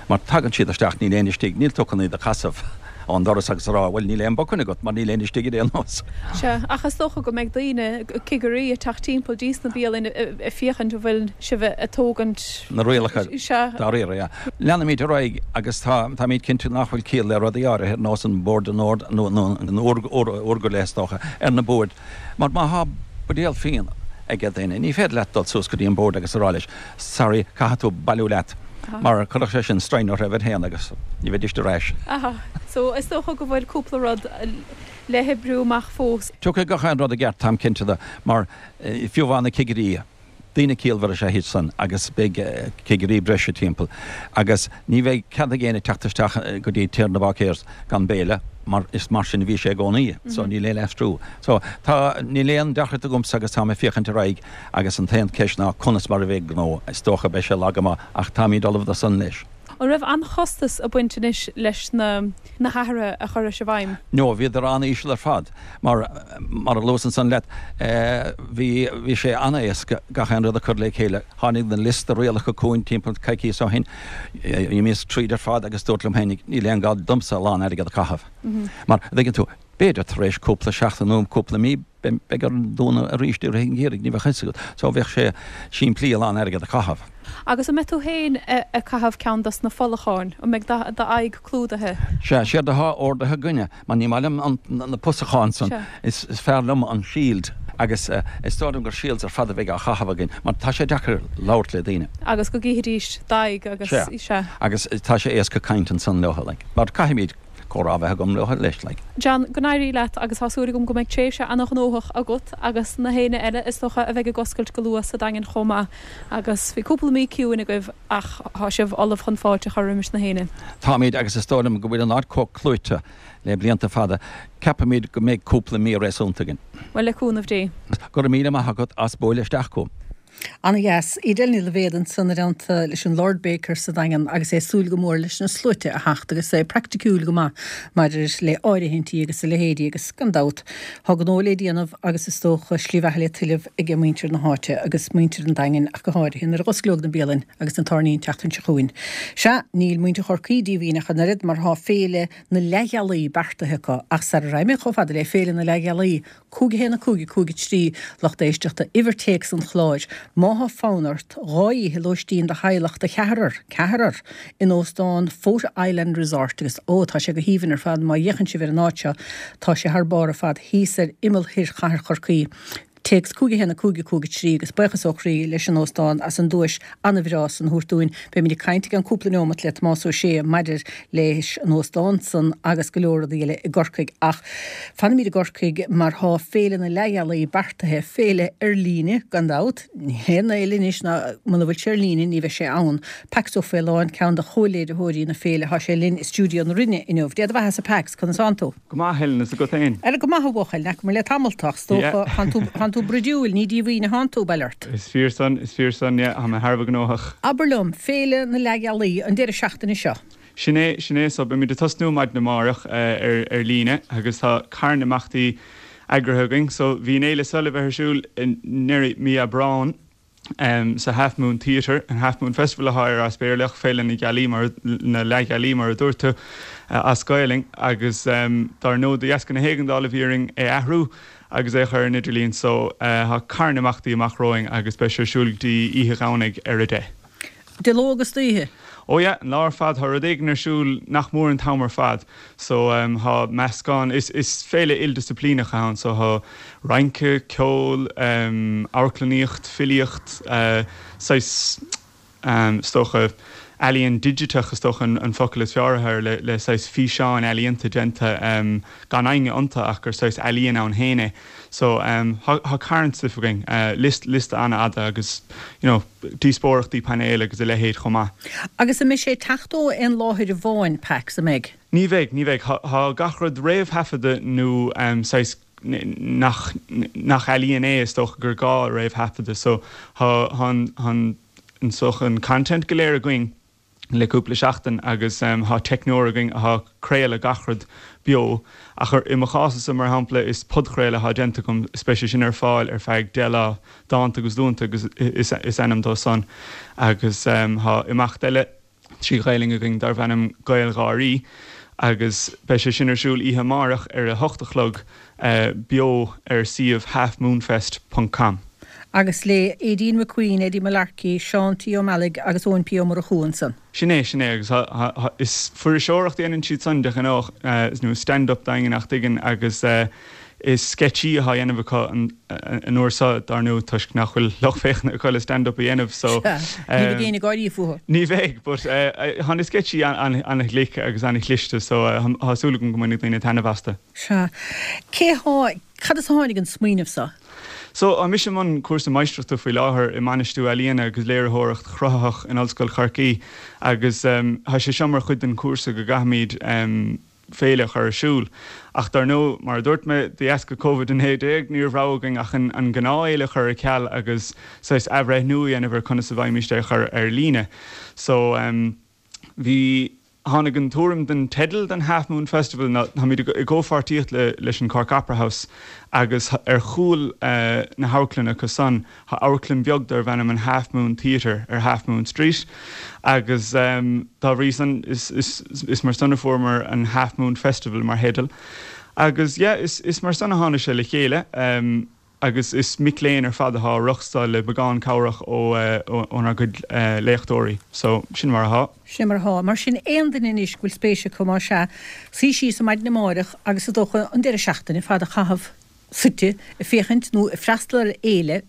Mar tagann siad isteach, níl éinne istigh, níl tú chun iad a chasadh ón doras agus a rá, bhuel, níl aon booking agat mar níl éinne istigh ar aon nós. Sea, ach is dócha go mbeidh daoine, cigirí, ag teacht timpeall dtí sna bialainn ag féachaint an bhfuil sibh ag tógaint. Na rialacha Sea. dáiríre, yeah. Leanfaimid ar aghaidh agus tá, táimid cinnte nach bhfuil ciall le rudaí áirithe ar nós an bord in ord, nó an uair, uair go leith is dócha, ar na boird. Mar má thá buidéal fíon ag duine, ní féidir leat dul suas go dtí an bord agus a rá leis, Sorry, caithfidh tú bailiú leat, mar chuirfeadh sé sin straidhn orthu iad féin agus ní bheidís ar ais. Aha. So, is dócha go bhfuil cúpla rud le hoibriú amach fós. Tiocfaidh gach aon rud i gceart, táim cinnte de, mar fiú amháin na cigirí, daoine ciallmhara is ea iad san agus beidh cigirí breise timpeall agus ní bheidh cead ag éinne teacht isteach go dtí Tír na Báicéirs gan béile mar is mar sin a bhí sé i gcónaí so níl aon aistriú. So, tá, níl aon deacracht agamsa agus táim ag féachaint ar aghaidh Agus an t-aon cheist ná conas mar a bheidh gnó. Is dócha beidh sé lag go maith ach táimid ullamh do san leis. An raibh an-chostas ag baint anois leis na na hathruithe a chuiris i bhfeidhm? No, bhíodar an-íseal ar fad. Mar, mar a luas ansan leat, bhí, bhí sé an-éasca gach aon rud a chur le chéile. Tháinig na liosta rialacha chugainn timpeall coicíos ó shin. D'imíos tríd ar fad agus dúrt liom féinig, níl aon gá domsa a lán airgead a chaitheamh. Mar, a dtuigeann tú, b'fhéidir tar éis cúpla seachtain nó cúpla mí. Beidh orainn dúnadh arís i rith an gheimhridh, ní bheadh fhios agat. So bheadh sé simplí a lán airgead a chaitheamh. Agus an mbeidh tú féin ag caitheamh ceann dos na folacháin? An mbeidh d'aghaidh clúdaithe? Sea, séard atá ordaithe againne, mar ní maith liom na pusacháin san, is fearr liom an shield agus is dóigh liom gur shields ar fad a bheidh á chaitheamh againn mar tá sé deacair labhairt le daoine. Agus go gcífidís d'aghaidh agus, sea. Sea. Agus tá sé éasca caint ansan leo, like, mar caithfimid comhrá a bheith agam leo leis, like. John, go n-éirí leat agus tá súil agam go mbeidh tréimhse ana-ghnóthach agat agus na héinne eile is dócha a bheidh ag oscailt go luath sa Daingean chomh maith agus bhí cúpla mí ciúin agaibh ach tá sibh ullamh chun fáilte a chur roimis na héinne. Táimid agus is dóigh liom go bhfuil an áit chomh clúite le blianta fada, ceapaimid go mbeidh cúpla mí réasúnta againn. Bhuel, le cúnamh Dé. Go raibh míle maith agat as bualadh isteach chugam. Ana-dheas. Edel Ní Loibhéad ansan i dteannta leis an Lord Baker sa Daingean agus é ag súil go mór leis na sluaite a theacht agus é praiticiúil go maith maidir le áirithintí agus a leithéidí agus gan dabht tá gnó le déanamh agus is dócha slí bheatha le tuilleamh aige muintir na háite agus muintir an Daingin ach go háirithe nuair a dh'osclóidh na bialainn agus na tábhairní an tseachtain seo chugainn. Sea, níl muintir Chorcaí díomhaoin ach an oiread mar tá Féile na Leathghealaí beartaithe acu ach sara raghaidh mé chomh fada le Féile na Leathghealaí 5 1 5 5 3 Lucht éisteachta, uimhir téacs an chláir, Má thá fonn ort 2 oíche lóistín do theaghlach de cheathrar, ceathrar! in óstán Fota Island Resort agus ó, tá sé go haoibhinn ar fad má fhéachann sibh ar an áit seo, tá sé thar barr ar fad thíos ar imeall thoir chathair Chorcaí. Téacs 5 1 5 5 3 agus buíochas ó chroí leis an óstán as an duais an-bhreá san a thabhairt dúinn. Beimid ag caint i gceann cúpla neomat le Tomás Ó Sé maidir leis an óstán san agus go leor rudaí eile i gCorcaigh. Ach fanfaimid i gCorcaigh mar thá Féile na Leathghealaí beartaithe, féile ar líne gan dabht, níl aon fhéile anois ná muna bhfuil sé ar líne ní bheidh sé ann. Pax Ó Faoláin, ceann de chomh-léiritheoirí na féile, thá sé linn i stiúideo na Rinne inniu. Dé do bheathasa Pax, conas thánn tú? Go maith, Helen, is agat féin? Ara go maith a bhuachaill, n'fheacamar le tamall tú ach is dócha, thánn tú, thánn tú bruidiúil, ní díomhaoin a thánn tú, bail ort. Is fíor san, is fíor san, yeah, tá mé thar a bheith gnóthach. Abair liom, Féile na Leathghealaí, an deireadh seachtaine seo. Sin é, sin é, so beimid ag tosnú maidin amárach ar, ar líne agus tá carn imeachtaí eagraithe againn. So bhí an fhéile seo le bheith ar siúl i ndeireadh mí Aibreáin, sa Half Moon Theatre, an Half Moon Festival atá air as Béarla, ach Féile na Gealaí mar, na Leathghealaí mar a dúirt tú, as Gaelainn, agus dár ndóigh de dheasca na héigeandála bhí orainn é athrú agus é a chur ar an idirlíon so tá carn imeachtaí amach romhainn agus beidh sé ar siúl go dtí oíche Dhomhnaigh ar a deich. De ló agus d'oíche? Oh yeah, an lá ar fad, tá rud éigin ar siúl nach mór an t-am ar fad. So tá meascán, is is féile ildisciplíneach ann, so tá rince, ceol, amharclannaíocht, filíocht, saghas is dócha ealaíon digiteach is dócha an focal is fearr atá air le le saghas físeáin ealaíonta déanta gan éinne iontu ach gur saghas ealaíon ann féin é. So tá carn stuif againn, liosta liosta an-fhada agus you know díospóireachtaí painéil agus a leithéid chomh maith. Agus an mbeidh sé ag teacht ó aon láthair amháin, Pax, an mbeidh? Ní bheidh, ní bheidh. Tá gach rud réamhthaifeadta nó saghas nach nach ealaíon é is dócha gur gá a réamhthaifeadadh. So tá an an is dócha an content go léir againn. le cúpla seachtain agus tá teicneoir againn atá ag craoladh gach rud beo ach i mo chás-sa mar shampla is podchraoladh atá déanta agam is beidh sé sin ar fáil ar feadh 10 lá, Dánta agus Duanta agus is ainm dó san agus tá imeacht eile trí Ghaelainn againn darbh ainm GaelGháirí agus beidh sé sin ar siúl oíche amárach ar a hocht a chlog beo ar suíomh halfmoonfest ponc com. Agus le Aideen McQueen, Eddie Mullarkey, Seán T. Ó Meallaigh agus Eoin P. Ó Murchú ansan. Sin é, sin é, agus is fuirseoireacht a dhéanann siad san de ghnáth, nó stand up d'éinne nach dtuigeann, agus is sceitsí atá á dhéanamh acu an uair seo, dar ndóigh, toisc nach bhfuil lucht féachana acu le stand up a dhéanamh, so. Sea, ní bheidh éinne ag gáirí fúthu. Ní bheidh, but tá na sceitsí an-ghlic agus an-chliste, so tá súil agam go mbainfidh daoine taitneamh astu. Sea. Cé há, cad as a tháinig an smaoineamh so? So, tá mise i mbun cúrsa máistreachta faoi láthair i mBainistiú Ealaíona agus Léiritheoireacht Chruthaitheach in Ollscoil Chorcaí agus tá sé seo mar chuid den chúrsa go gcaithfimid féile a chur ar siúl. Ach dar ndóigh, mar a dúirt mé, de dheasca Covid-19 ní raibh rogha againn ach an gnáthfhéile a chur ar ceal agus saghas athbhreithniú a dhéanamh ar conas a bhfaighimist é a chur ar líne. So, bhí. Tháinig an tuairim don teideal don Half Moon Festival ná táimid i gcomhpháirtíocht leis an Cork Opera House agus ar chúl na hamharclainne acu san tá amharclann bheag darbh ainm an Half Moon Theatre ar Half Moon Street agus dá bhrí san is mar san a fuaireamar an Half Moon Festival mar theideal. Agus yeah, is is mar san a tháinig sé le chéile. Agus is mic léinn ar fad atá á reáchtáil le beagán cabhrach ó ónár gcuid léachtóirí. So, sin mar atá. Sin mar atá. Mar sin, aon duine anois go bhfuil spéis acu, más ea, suí síos ar maidin amáireach agus is dócha an deireadh seachtaine fada a chaitheamh suite ag féachaint nó ag freastal ar fhéile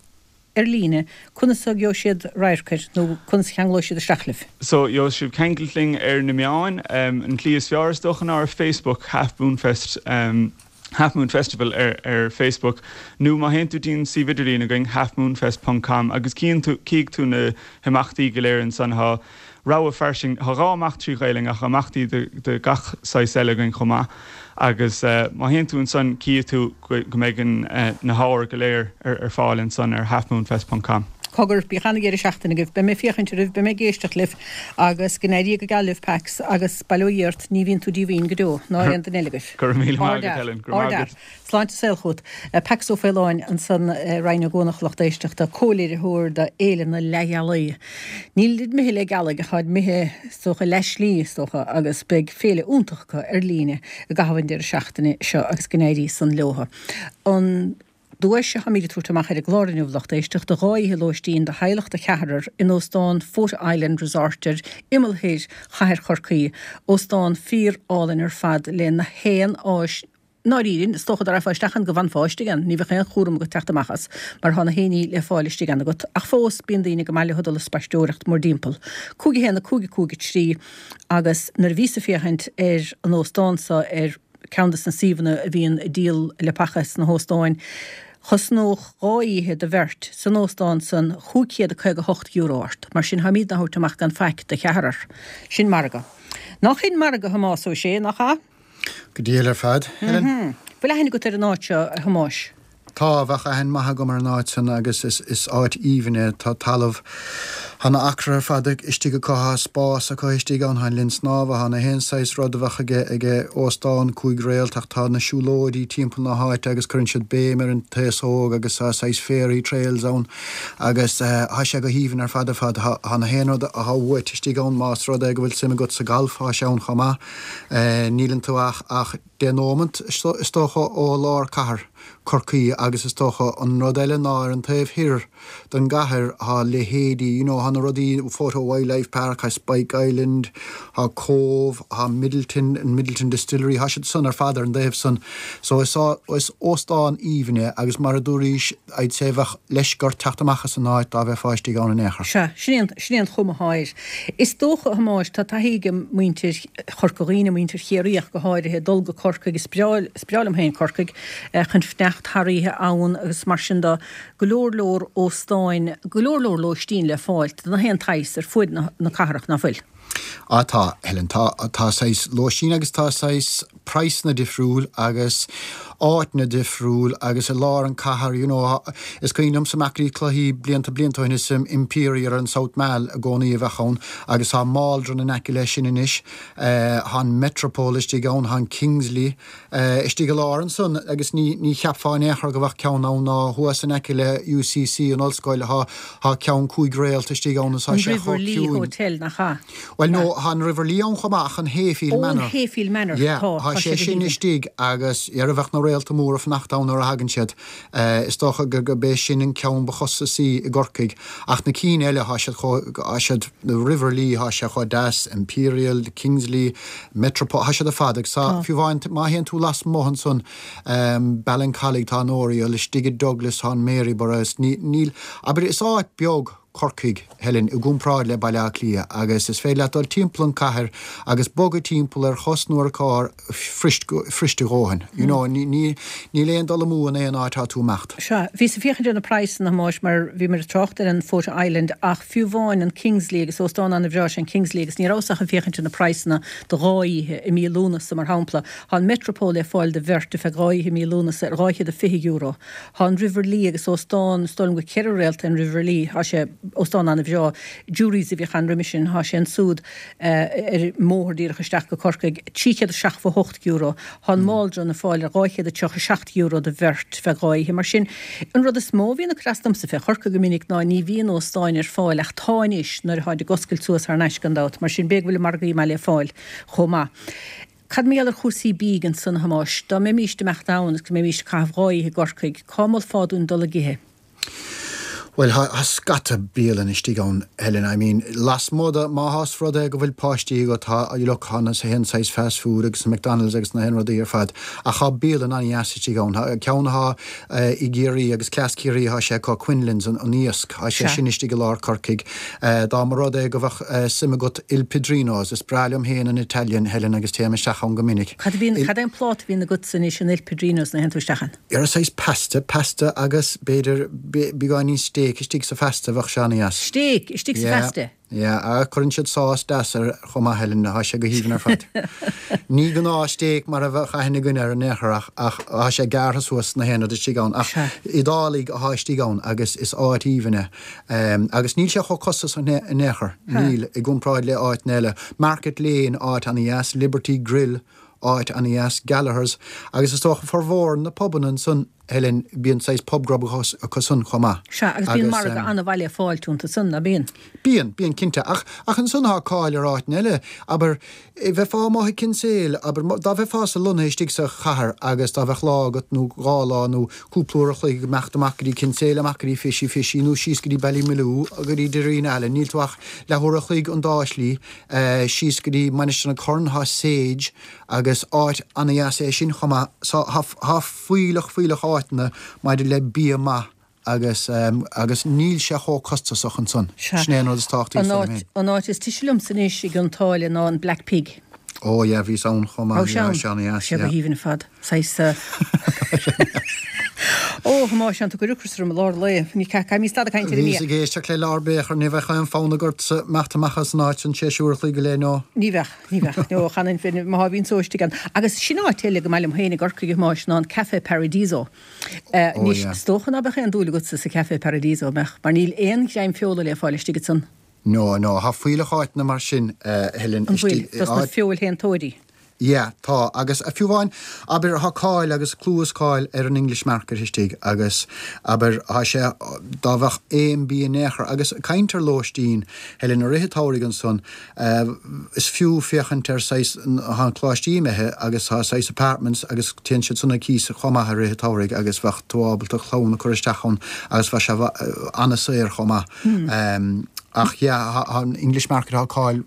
ar líne, conas a gheobhaidh siad radharc air nó conas a cheanglóidh siad isteach libh? So, gheobhaidh sibh ceangailt linn ar na meáin. An tslí is fearr is dócha ná ar Facebook, Half Moon Fest, Half Moon Festival ar ar Facebook, nó má théann tú dtí an suíomh idirlín againn, halfmoonfest ponc com, agus cíonn tú, cífidh tú na himeachtaí go léir ansan. Tá rogha fairsing, tá 2 imeacht trí Ghaelainn ach imeachtaí de de gach saghas eile againn chomh maith. Agus má théann tú ansan cífidh tú go go mbeidh an na hábhair go léir ar ar fáil ansan ar halfmoonfest ponc com. Cogar, bíodh ana-dheireadh seachtaine agaibh. Beidh mé ag féachaint oraibh, beidh mé ag éisteacht libh agus go n-éirí go geal libh, Pax, agus bail ó Dhia ort, ní bhíonn tú díomhaoin go deo, ná aon duine eile agaibh. Go raibh míle maith agat, Helen. Go raibh maith agat. Sláinte is saol chugat. Pax Ó Faoláin ansan, Roinn Ó gCuanach, lucht éisteachta, comhléiritheoir do Fhéile na Leathghealaí. Nílid imithe leath gealaigh, táid imithe, is dócha, leath slí, is dócha, agus beidh féile iontach acu ar líne i gcaitheamh an deireadh seachtaine seo agus go n-éirí san leotha. An. Duais atáimid ag tabhairt amach ar an gclár inniu, lucht éisteachta, 2 oíche lóistín do theaghlach de cheathrar in Óstán Fota Island Resort ar imeall thoir chathair Chorcaí. Óstán fíor-álainn ar fad le na haon áis i ndáiríre, is dócha dá rachfá isteach ann go bhfanfá istigh ann, ní bheadh aon chúram agat teacht amach as mar tá na haon ní le fáil istigh ann agat. Ach fós, bíonn daoine go maith leo dul ag spaisteoireacht mórdtimpeall. 5 1 5 5 3 Agus nuair a bhíos ag féachaint ar an óstán so ar ceann de na suíomhanna a bhíonn ag díol leapacha sna hóstáin. Chosnódh 2 oíche do bheirt san óstán san €558 ort. Mar sin táimídne á thabhairt amach gan faic do cheathrar. Sin margadh. Nach in margadh, a Thomáis Ó Sé, nach ea? Go diail ar fad, Helen. Bhfuil aithne agat ar an áit seo, a Thomáis? Tá, bheadh aithne maith agam ar an áit san agus is áit aoibhinn é. Tá talamh, tá na acra ar fad istigh acu, tá spás acu istigh ann, tá an linn snámha, tá na haon saghas rud a bheadh aige, aige óstán 5 réalt ach tá na siúlóidí timpeall na háite agus cuireann siad béim ar an taos óg agus tá saghas fairy trails ann agus tá sé go haoibhinn ar fad ar fad. Tá na haon rud atá uait istigh ann más rud é go bhfuil suim agat sa galf, tá sé ann chomh maith. Níleann tú ach, ach. 10 nóimeant, is dócha, ó lár cathair Chorcaí agus is dócha an rud eile ná ar an taobh thoir den gcathair tá leithéidí, you know, tá na rudaí, Fota Wildlife Park, tá Spike Island, tá Cóbh, tá Midleton, an Midleton Distillery, tá siad san ar fad ar an dtaobh san. So is is óstán aoibhinn é agus mar a dúraís, I'd say bheadh leisce ort teacht amach as an áit dá bheifeá istigh ann in aon chor. Sea, sin é an, sin é an chuma atá air. Is dócha, a Thomáis, tá taithí ag muintir Chorca Dhuibhne, muintir Chiarraí ach go háirithe, dul go Corcaigh, is breá, is breá liom féin Corcaigh, chun fanacht thar oíche ann agus mar sin de, go leor leor óstáin, go leor leor lóistín le fáilt do na haon tsaghas ar fuaid na, na cathrach, ná fuil? Á tá, Helen, tá, tá saghas lóistín agus tá saghas praghsanna difriúil agus áiteanna difriúil agus i lár an cathair, you know, is cuimhin liomsa amach go dtí cluichí blianta blianta ó shin is Imperial ar an South Mall i gcónaí a bheadh ann agus tá Maldron in aice leis sin anois, tá an Metropole istigh ann, tá an Kingsley istigh i lár ansan agus ní ní cheapfá in aon chor go bheadh ceann ann ná thuas in aice le UCC an ollscoil tá tá ceann 5 réalt istigh ann is tá An sé chomh River Lee ciúin. Hotel, nach ea? Bhuel no, tá an River Lee ann chomh maith ach an Hayfield Ó, an Manor. Hayfield Manor, Yeah, tá, tá tá sé sé go sin haoibhinn. istigh agus dhera bheadh na réalta móra ag fanacht ann nuair a thagann siad. Is dócha go gurb é sin an ceann ba chostasaí i gCorcaigh ach na cinn eile tá siad chomh, tá siad, the River Lee tá sé chomh deas, Imperial, the Kingsley, Metropole, tá siad ar fad agus tá, Tá. fiú amháin má théann tú lasmuigh ansan, Ballincollig tá an Oriel, istigh i Douglas tá an Maryborough is ní, níl, abair is áit beag Corcaigh, Helen, i gcomparáid le Baile Átha Cliath agus is féidir leat dul timpeall an cathair agus bogadh timpeall ar chos nó ar carr fuirist, fuirist a dhóthain. You know, ní, ní, níl aon dul amú in aon áit atá tú imeacht. Sea, bhíos ag féachaint ar na praghsanna, a Thomáis, mar bhíomar ag trácht ar an Fota Island ach fiú amháin an Kingsley agus óstán an-bhreá sé an Kingsley agus ní rabhas ach ag féachaint ar na praghsanna do dhá oíche i mí Lúnasa mar shampla. Tá an Metropole le fáil do bheirt ar feadh dhá oíche i mí Lúnasa ar €220. Tá an River Lee agus óstán, is dóigh liom gur 4 réalta an River Lee, tá sé, óstán an-bhreá, Jury's a bhíodh ann roimhe sin, tá sé ansúd ar an mbóthar díreach isteach go Corcaigh, €378. Tá an Maldron le fáil ar €237 do bheirt feadh dhá oíche. Mar sin, an rud is mó a bhíonn ag cur as domsa fé Chorcaigh go minic ná ní bhíonn óstáin ar fáil ach tá anois nuair atáid ag oscailt suas thar n-ais gan dabht. Mar sin, b'fhéidir go bhfuil margaí maith le fáil chomh maith. Cad mar gheall ar chúrsaí bídh ansan, a Thomáis? Dá mbeimíst ag imeacht ann agus go mbeimíst ag caitheamh 2 oíche i gCorcaigh, cá molfá dúinn dul ag ithe? Bhuel, thá scata bialann istigh ann, Helen, I mean, lasmuigh de, má thás rud é go bhfuil páistí agat, tá, look, thá na haon saghas fast food agus na McDonald's agus na haon rudaí ar fad, ach thá bialann an-dheas istigh ann. Thá ceann athá i gCiarraí agus cleas Ciarraí athá sé acu, Quinlan's, an, an iasc, thá sé sin istigh i lár Corcaigh. Dá mba rud é go bheadh suim agat Il Padrino's, is breá liom féin an Italian, Helen, agus téim isteach ann go minic. Cad a bhíonn, cad é an pláta a bhíonn agatsa anois in Il Padrino's nuair a théann tú isteach ann? Ar saghas pasta, pasta agus b'fhéidir beagáinín steak istigh sa phasta, bheadh sé an-dheas. Steak istigh sa phasta? Yeah, yeah, cuireann siad sás deas air chomh maith, Helen, thá sé go haoibhinn ar fad. Ní gnáth steak mar a bheadh aithne againn air in aon chor ach, ach thá sé gearrtha suas na haon rud istigh ann ach Iodálaigh athá istigh ann agus is áit aoibhinn é. Agus níl sé chomh costasach in aon chor, níl, i gcomparáid le áiteanna eile. Market Lane, áit an-dheas, Liberty Grill, áit an-dheas, Gallagher's, agus is dócha formhór na pubanna ansan, Helen, bíonn saghas pub grub acu san chomh maith. Sea, agus bíonn margadh an-mhaith le fáilt iontu san, ná bíonn? Bíonn, bíonn cinnte. Ach, ach ansan thá cáil ar áiteanna eile, abair, bheifeá amuigh i Kinsale, abair, dá bheifeása lonnaithe istigh sa chathair agus dá bheadh lá agat nó dhá lá nó cúpla uair a chloig ag imeacht amach go dtí Kinsale, amach go dtí Fishy Fishy nó síos go dtí Ballymaloe, go dtí Derrynallen, níl tú ach leathuair a chloig an dá shlí. Síos go dtí Mainistir na Corn thá Sage agus áit ana-dheas é sin chomh maith. So thá fuílleach fuílleach áiteanna maidir le bia maith agus agus níl sé chomh costasach ansan. Sea. Sin é an rud is tábhachtaí is dóigh liom féin. An áit is tuise liomsa anois i gCionn tSáile ná an Black Pig. Ó yeah bhíos ann chomh maith. Raibh sé ann? Sé ana-dheas, Sé go yeah. haoibhinn ar fad. Saghas. Ó, a Thomáis, tá tú ag cur ocras orm i lár lae. Ní caithfidh stad ag caint ar an mbia. Bhíos ag éisteacht le Lár B'fhéachar, ní bheadh aon fonn agatsa imeacht amach as an áit san tar éis uair a chloig go leith, no. Ní bheadh, ní bheadh. No, chan má bhíonn só istigh ann. Agus sin áit eile go maith liom féin i gCorcaigh, a Thomáis, ná an Café Paradiso. Anois, is dócha ná beadh aon dúil agatsa sa Café Paradiso, an mbeadh? Mar níl aon ghreim feola le fáil istigh ansan. No, no, thá fuílleach áiteanna mar sin, a Helen, An bhfuil? Dos na feoilshéantóirí? Yeah, tá, agus fiú amháin, abair, thá cáil agus clú is cáil ar an English Market istigh agus, abair, thá sé, dá bheadh aon bia in aon chor, agus caint ar lóistín, Helen, i rith an tsamhraidh ansan, is fiú féachaint ar saghas, thá an coláistí imithe agus thá saghas apartments agus téann siad san ar cíos chomh maith i rith an tsamhraidh agus bheadh tú ábalta clann a cur isteach ann agus bheadh sé an-saor chomh maith. Ach yeah, thá an English Market, thá cáil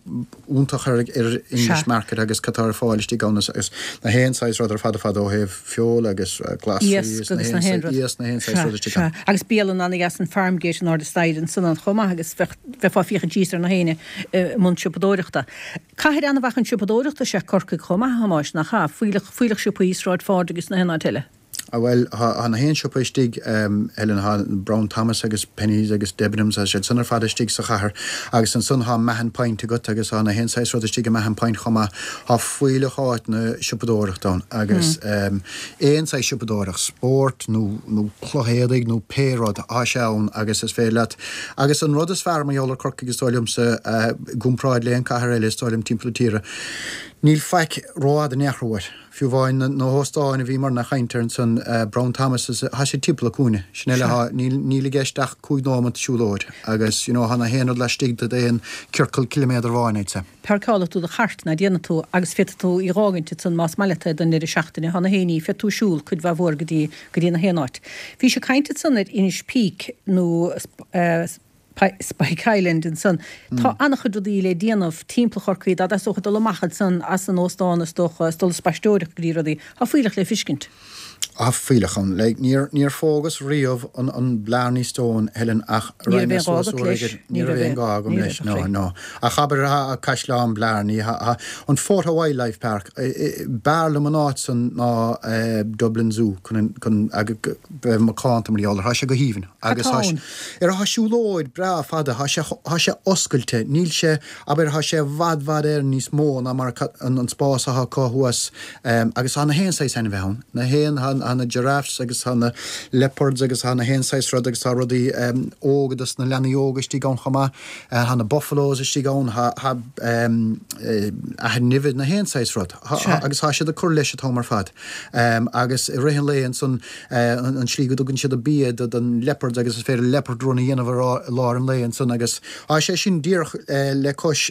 iontach ar English Market agus cad tá ar fáil istigh ann agus na haon saghas rud ar fad ar fad ó thaobh feola agus glasraí Iasc agus na haon rud. Iasc na haon saghas rud istigh ann. Sea, agus bialann an-dheas an Farmgate in airde staighre ansan ann chomh maith agus bheadh, bheifeá ag féachaint síos ar na héinne i mbun siopadóireachta. Cathair an-mhaith chun siopadóireachta is ea Corcaigh chomh maith, a Thomáis, nach ea? Fuílleach, fuílleach siopaí, Sráid Phádraig agus na haon áit eile. Ah bhuel, thá na haon siopa istigh, Helen, thá Brown Thomas agus Penneys agus Debenhams, tá siad san ar fad istigh sa chathair agus ansan thá Mahon Point agat agus thá na haon saghas rud istigh i Mahon Point chomh maith. Thá fuílleach áiteanna siopadóireachta ann agus aon saghas siopadóireacht, spóirt nó nó cloch éadaigh nó pé rud, thá sé ann agus is féidir leat. Agus an rud is fearr mar gheall ar Corcaigh is dóigh liomsa, i gcomparáid le aon cathair eile is dóigh liom timpeall na tíre, níl faic rófhada in aon chor uait. Fiú amháin na hóstáin a bhíomarna ag caint air ansan, Brown Thomas, thá siad timpeall an cúinne. Sin eile, thá, níl, níl i gceist ach cúig nóimeat siúlóid agus, you know, thá na haon rud laistigh d'aon ciorcal ciliméadar amháin, I'd say. Páirceálfaidh tú do chairt, ná déanfaidh tú, agus féadfaidh tú í dh'fhágaint ansan más maith leat é don ndeireadh seachtaine. Thá na héinní, féadfaidh tú siúl cuid mhaith mhór go dtí, go dtí na haon áit. Bhís ag caint ansan ar Inis Píc nó, eh, Spike Island ansan. Tá an-chuid rudaí le déanamh timpeall Chorcaí, dá dteastódh dul amach ansan as an óstán is dócha, is dul ag spaisteoireacht go dtí rudaí. Tá fuílleach le fiscint. Tá fuílleach ann. Like, níor, níor phógas riamh an, an Blarney Stone, Helen, ach Ní raibh raibh mé aon ghá suas agat uair leis. éigin. Ní Ní raibh raibh aon aon, ghá agam ní leis, raibh, a no, chroí. no. Ach abair, tá Caisleán Blarney, tá, tá an Fota Wildlife Park, b'fhearr liom an áit san ná Dublin Zoo, chun an, chun, bheith macánta mar gheall air. Tá sé go haoibhinn. Cad Agus tá tá ann? Ar thá siúlóid breá fada, thá sé, thá sé oscailte, níl sé, abair, thá sé i bhfad, bhfad Éireann níos mó ná mar an, an spás athá acu thuas agus thá na haon saghas ainmhithe ann, na haon, thá, Tá na giraffes agus tá na leopards agus tá na haon saghas rud agus tá rudaí óga dos na leanaí óga istigh ann chomh maith. Tá na buffaloes istigh ann, tá achan nimhe, na haon saghas rud. Agus tá siad ag cur leis an t-am ar fad. Agus i rith an lae ansan, an tslí go dtugann siad an bia don leopards agus is féidir leopard run a dhéanamh i lár an lae ansan agus tá sé sin díreach le cois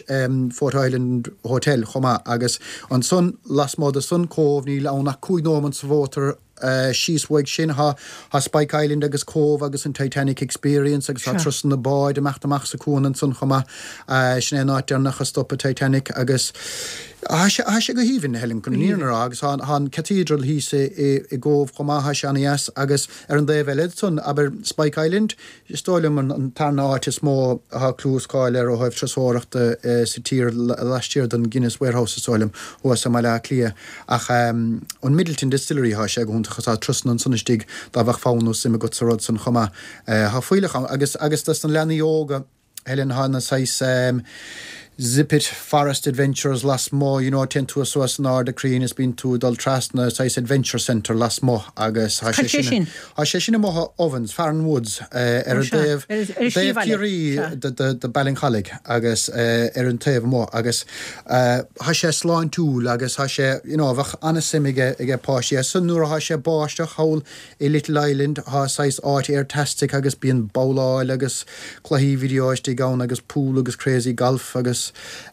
Fota Island Hotel chomh maith agus ansan lasmuigh de san Cóbh níl ann ach 5 nóimeant sa mhótar síos uaidh sin tá Spike Island agus Cóbh agus an Titanic Experience agus tá turasanna báid imeacht amach sa cuan ansan chomh maith. Sin é an áit deireanach a stop an Titanic agus tá sé tá sé go haoibhinn, Helen, chun an fhírinne a rá agus tá an Cathedral thíos i gCóbh chomh maith, tá sé ana-dheas agus ar an dtaobh eile ansan, abair Spike Island, Is dóigh liom an tarna áit is mó atá clú is cáil air ó thaobh turasóireachta sa tír laistiar den Guinness Warehouse, is dóigh liom, thuas i mBaile Átha Cliath. Ach an Midleton Distillery, tá sé go hiontach agus tá turasanna ansan istigh dá bheadh fonn nó suim agat sa rud san chomh maith. Tá fuílleach ann agus agus dos na leanaí óga, Helen, tá na saghas Zip It Forest Adventures lasmuigh, you know, téann tú suas in airde crainn is bíonn tú ag dul trasna saghas adventure centre lasmuigh agus tá sé sin, tá sé sin amuigh i Ovens, Farran Woods, ar an taobh, taobh Ciarraí de Ballincollig agus ar an taobh amuigh agus tá sé sláintiúil agus tá sé, you know, bheadh an-suim aige, aige páistí. Agus nuair atá sé báisteach thall I Little Island tá saghas áit airtastic agus bíonn babhláil agus cluichí video istigh ann agus pool agus crazy golf agus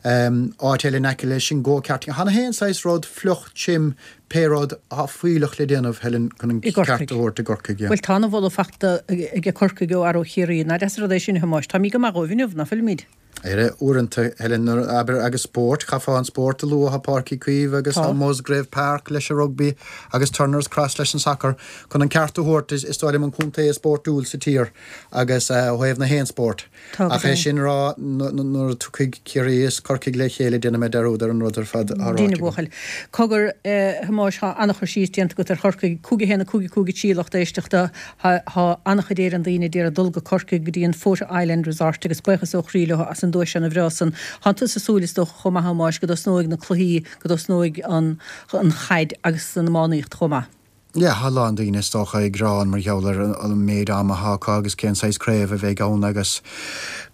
áit eile in aice leis sin go karting. Tá na haon saghas rud, fliuch, tirim, pé rud, tá fuílleach le déanamh, Helen, chun an ceart a thabhairt i gCorcaigh, yeah. Bhuel tá ana-mholadh fachta aige Corcaigh ó fhear ó Chiarraí. Nach deas an rud é sin, a Thomáis. Táimid go maith dhóibh inniu, ná fuilimid? Ar uaireanta, Helen, nuair, abair, agus spórt, chaithfeá an spórt a lua, tá Páirc Uí Chaoimh agus tá Musgrave Park leis an rugbaí agus Turner's Cross leis an sacar. Chun an ceart a thabhairt, is dóigh liom an contae is spórtúil sa tír agus ó thaobh na haon spórt. Ach é sin a rá, nuair a tiocfaidh Ciarraí is Corcaigh le chéile déanfaidh mé dearúd ar an rud ar fad atá ráite agam. Cogar, a Thomáis, tá an-chur síos déanta agat ar Chorcaigh, 5 1 5 5 3 lucht éisteachta. Tá an-chuid Éireann daoine ag iarraidh dul go Corcaigh go dtí an Fota Island Resort agus buíochas ó chroí leo as an duais ana-bhreá san. Tánn tusa ag súil is dócha chomh maith a Thomáis go dtosnóidh na cluichí, go dtosnóidh an chaid agus an iománaíocht chomh maith. Yeah, tá a lán daoine is dócha ag gearán mar gheall ar an méid ama atá acu agus cén saghas craobh a bheidh ann agus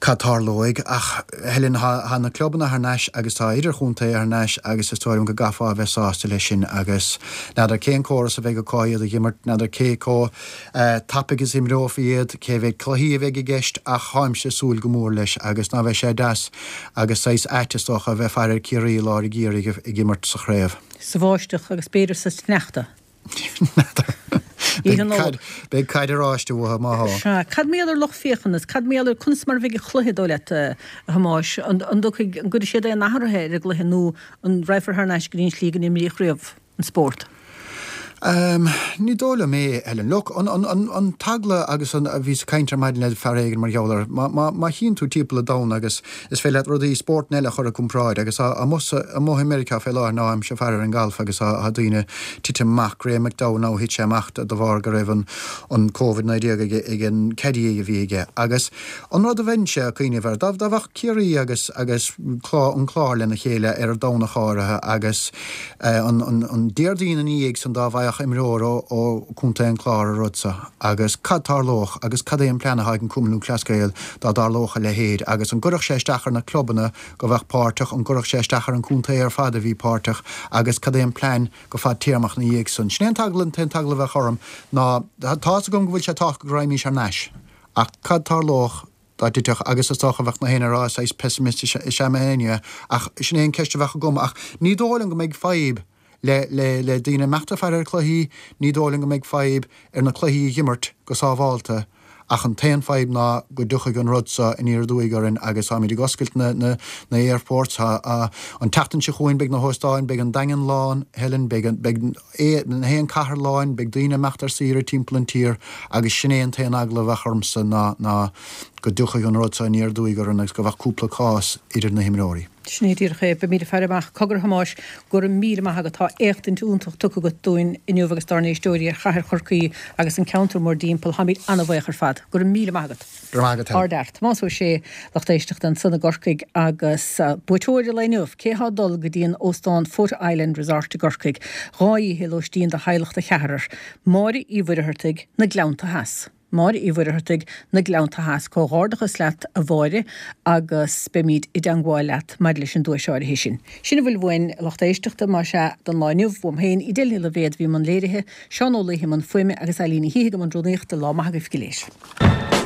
cad tarlóidh ach Helen, tá na clubanna thar n-ais agus tá idirchontae thar n-ais agus is dóigh liom go gcaithfeá a bheith sásta leis sin agus N'fheadar cén córas a bheidh acu iad a dh'imirt, n'fheadar cé chomh tapaidh is imreofaí iad, cé mhéad cluichí a bheidh i gceist ach táimse ag súil go mór leis agus ná bheadh sé deas agus saghas ait is dócha a bheith faire ar Ciarraí i lár an gheimhridh ag imirt sa chraobh. Sa bháisteach agus b'fhéidir sa sneachta. N'fheadar. Oíche Nollag. Beidh caid oráiste uathu má thá. Sea. Cad mar gheall ar lucht féachana? Cad mar gheall ar conas mar a bheidh an cluiche, dóigh leat, a Thomáis? An dtiocfaidh, an gcuirfidh siad aon athruithe ar an gcluiche nó An raghfar thar n-ais go dtí an tslí go n-imríodh riamh an spórt? Ní dóigh liom é, Helen. Look, an, an, an, an t-eagla agus an, a bhíos ag caint ar maidin le fear éigin mar gheall air, má, má, má chíonn tú timpeall an domhain agus is féidir leat rudaí, spórtanna eile a chur i gcomparáid agus tá, amuigh sa, amuigh i Meiriceá fé láthair now táimse ag faire ar an galf agus tá, tá daoine titim amach, Graham McDowell now thit sé amach de, de bharr go raibh an, an Covid-19 ag, ag an caddy a bhí aige agus, An rud a bheinnse ag cuimhneamh air, dá bheadh Ciarraí agus agus an Clár lena chéile ar an Domhnach áirithe agus an Déardaoin ina dhiaidh san dá bhfaigheadh imreoir ó Chontae an Chláir an rud so agus cad tarlódh agus cad é an plean atá ag an Cumann Lúthchleas Gael dá dtarlódh a leithéid agus an gcuirfeadh sé isteach ar na clubanna go bheadh páirteach, an gcuirfeadh sé isteach ar an chontae ar fad a bhí páirteach agus cad é an plean go fadtéarmach ina dhiaidh san. Sin é an t-eagla, an t-aon t-eagla a bheadh orm ná tá's agam go bhfuil sé tábhachtach go raghaimís thar n-ais. Ach cad tarlódh dá dtitfeadh, agus is dócha bheadh na héinne ag rá saghas pessimist is ea mé féin, yeah, ach sin é an ceist a bheadh agam. Ach ní dóigh liom go mbeidh fadhb le, le, le daoine imeacht ag faire ar cluichí, ní dóigh liom go mbeidh fadhb ar na cluichí a dh'imirt go sábhálta, ach an t-aon fadhb ná go dtiocfaidh an rud so aniar aduaidh orainn agus táimid ag oscailt na, na, na airports, tá, an tseachtain seo chugainn beidh na hóstáin, beidh an Daingean lán, Helen, beidh an, beidh, na haon cathair lán, beidh daoine ag imeacht ar saoire timpeall an tír agus sin é an t-aon eagla a bheadh ormsa ná ná go dtiocfadh an rud seo aniar aduaidh orainn agus go bheadh cúpla cás idir na himreoirí. Sin é díreach é. Beimid ag faire amach. Cogar a Thomáis, go raibh míle maith agat. Tá éachtaint iontach tugtha agat dúinn inniu agus dár n-éisteoirí ar chathair Chorcaí agus an ceantar mórdtimpeall. Táimid an-bhaoch ar fad. Go raibh míle maith agat. Go raibh maith agat, Helen. Ardfhear. Tomás Ó Sé, lucht éisteachta ansan i gCorcaigh agus buaiteoir an lae inniu, cé thá ag dul go dtí an óstán Fota Island Resort i gCorcaigh? Dhá oíche lóistín do theaghlach de cheathrar. Máire Uí Mhuircheartaigh, Na Gleannta Theas. Máire Uí Mhuircheartaigh, Na Gleannta Theas. Comhghairdeachas leat a Mháire agus beimid i dteangmháil leat maidir leis an duais áirithe sin. Sin a bhfuil uainn, a lucht éisteachta, más ea, don lá inniu. Uaim féin, Edel Ní Loibhéad a bhí i mbun léirithe, Seán Ó Laoithe i mbun fuaime agus Eileen Ní Shíthigh i mbun rúnaíochta. Lá maith agaibh go léir.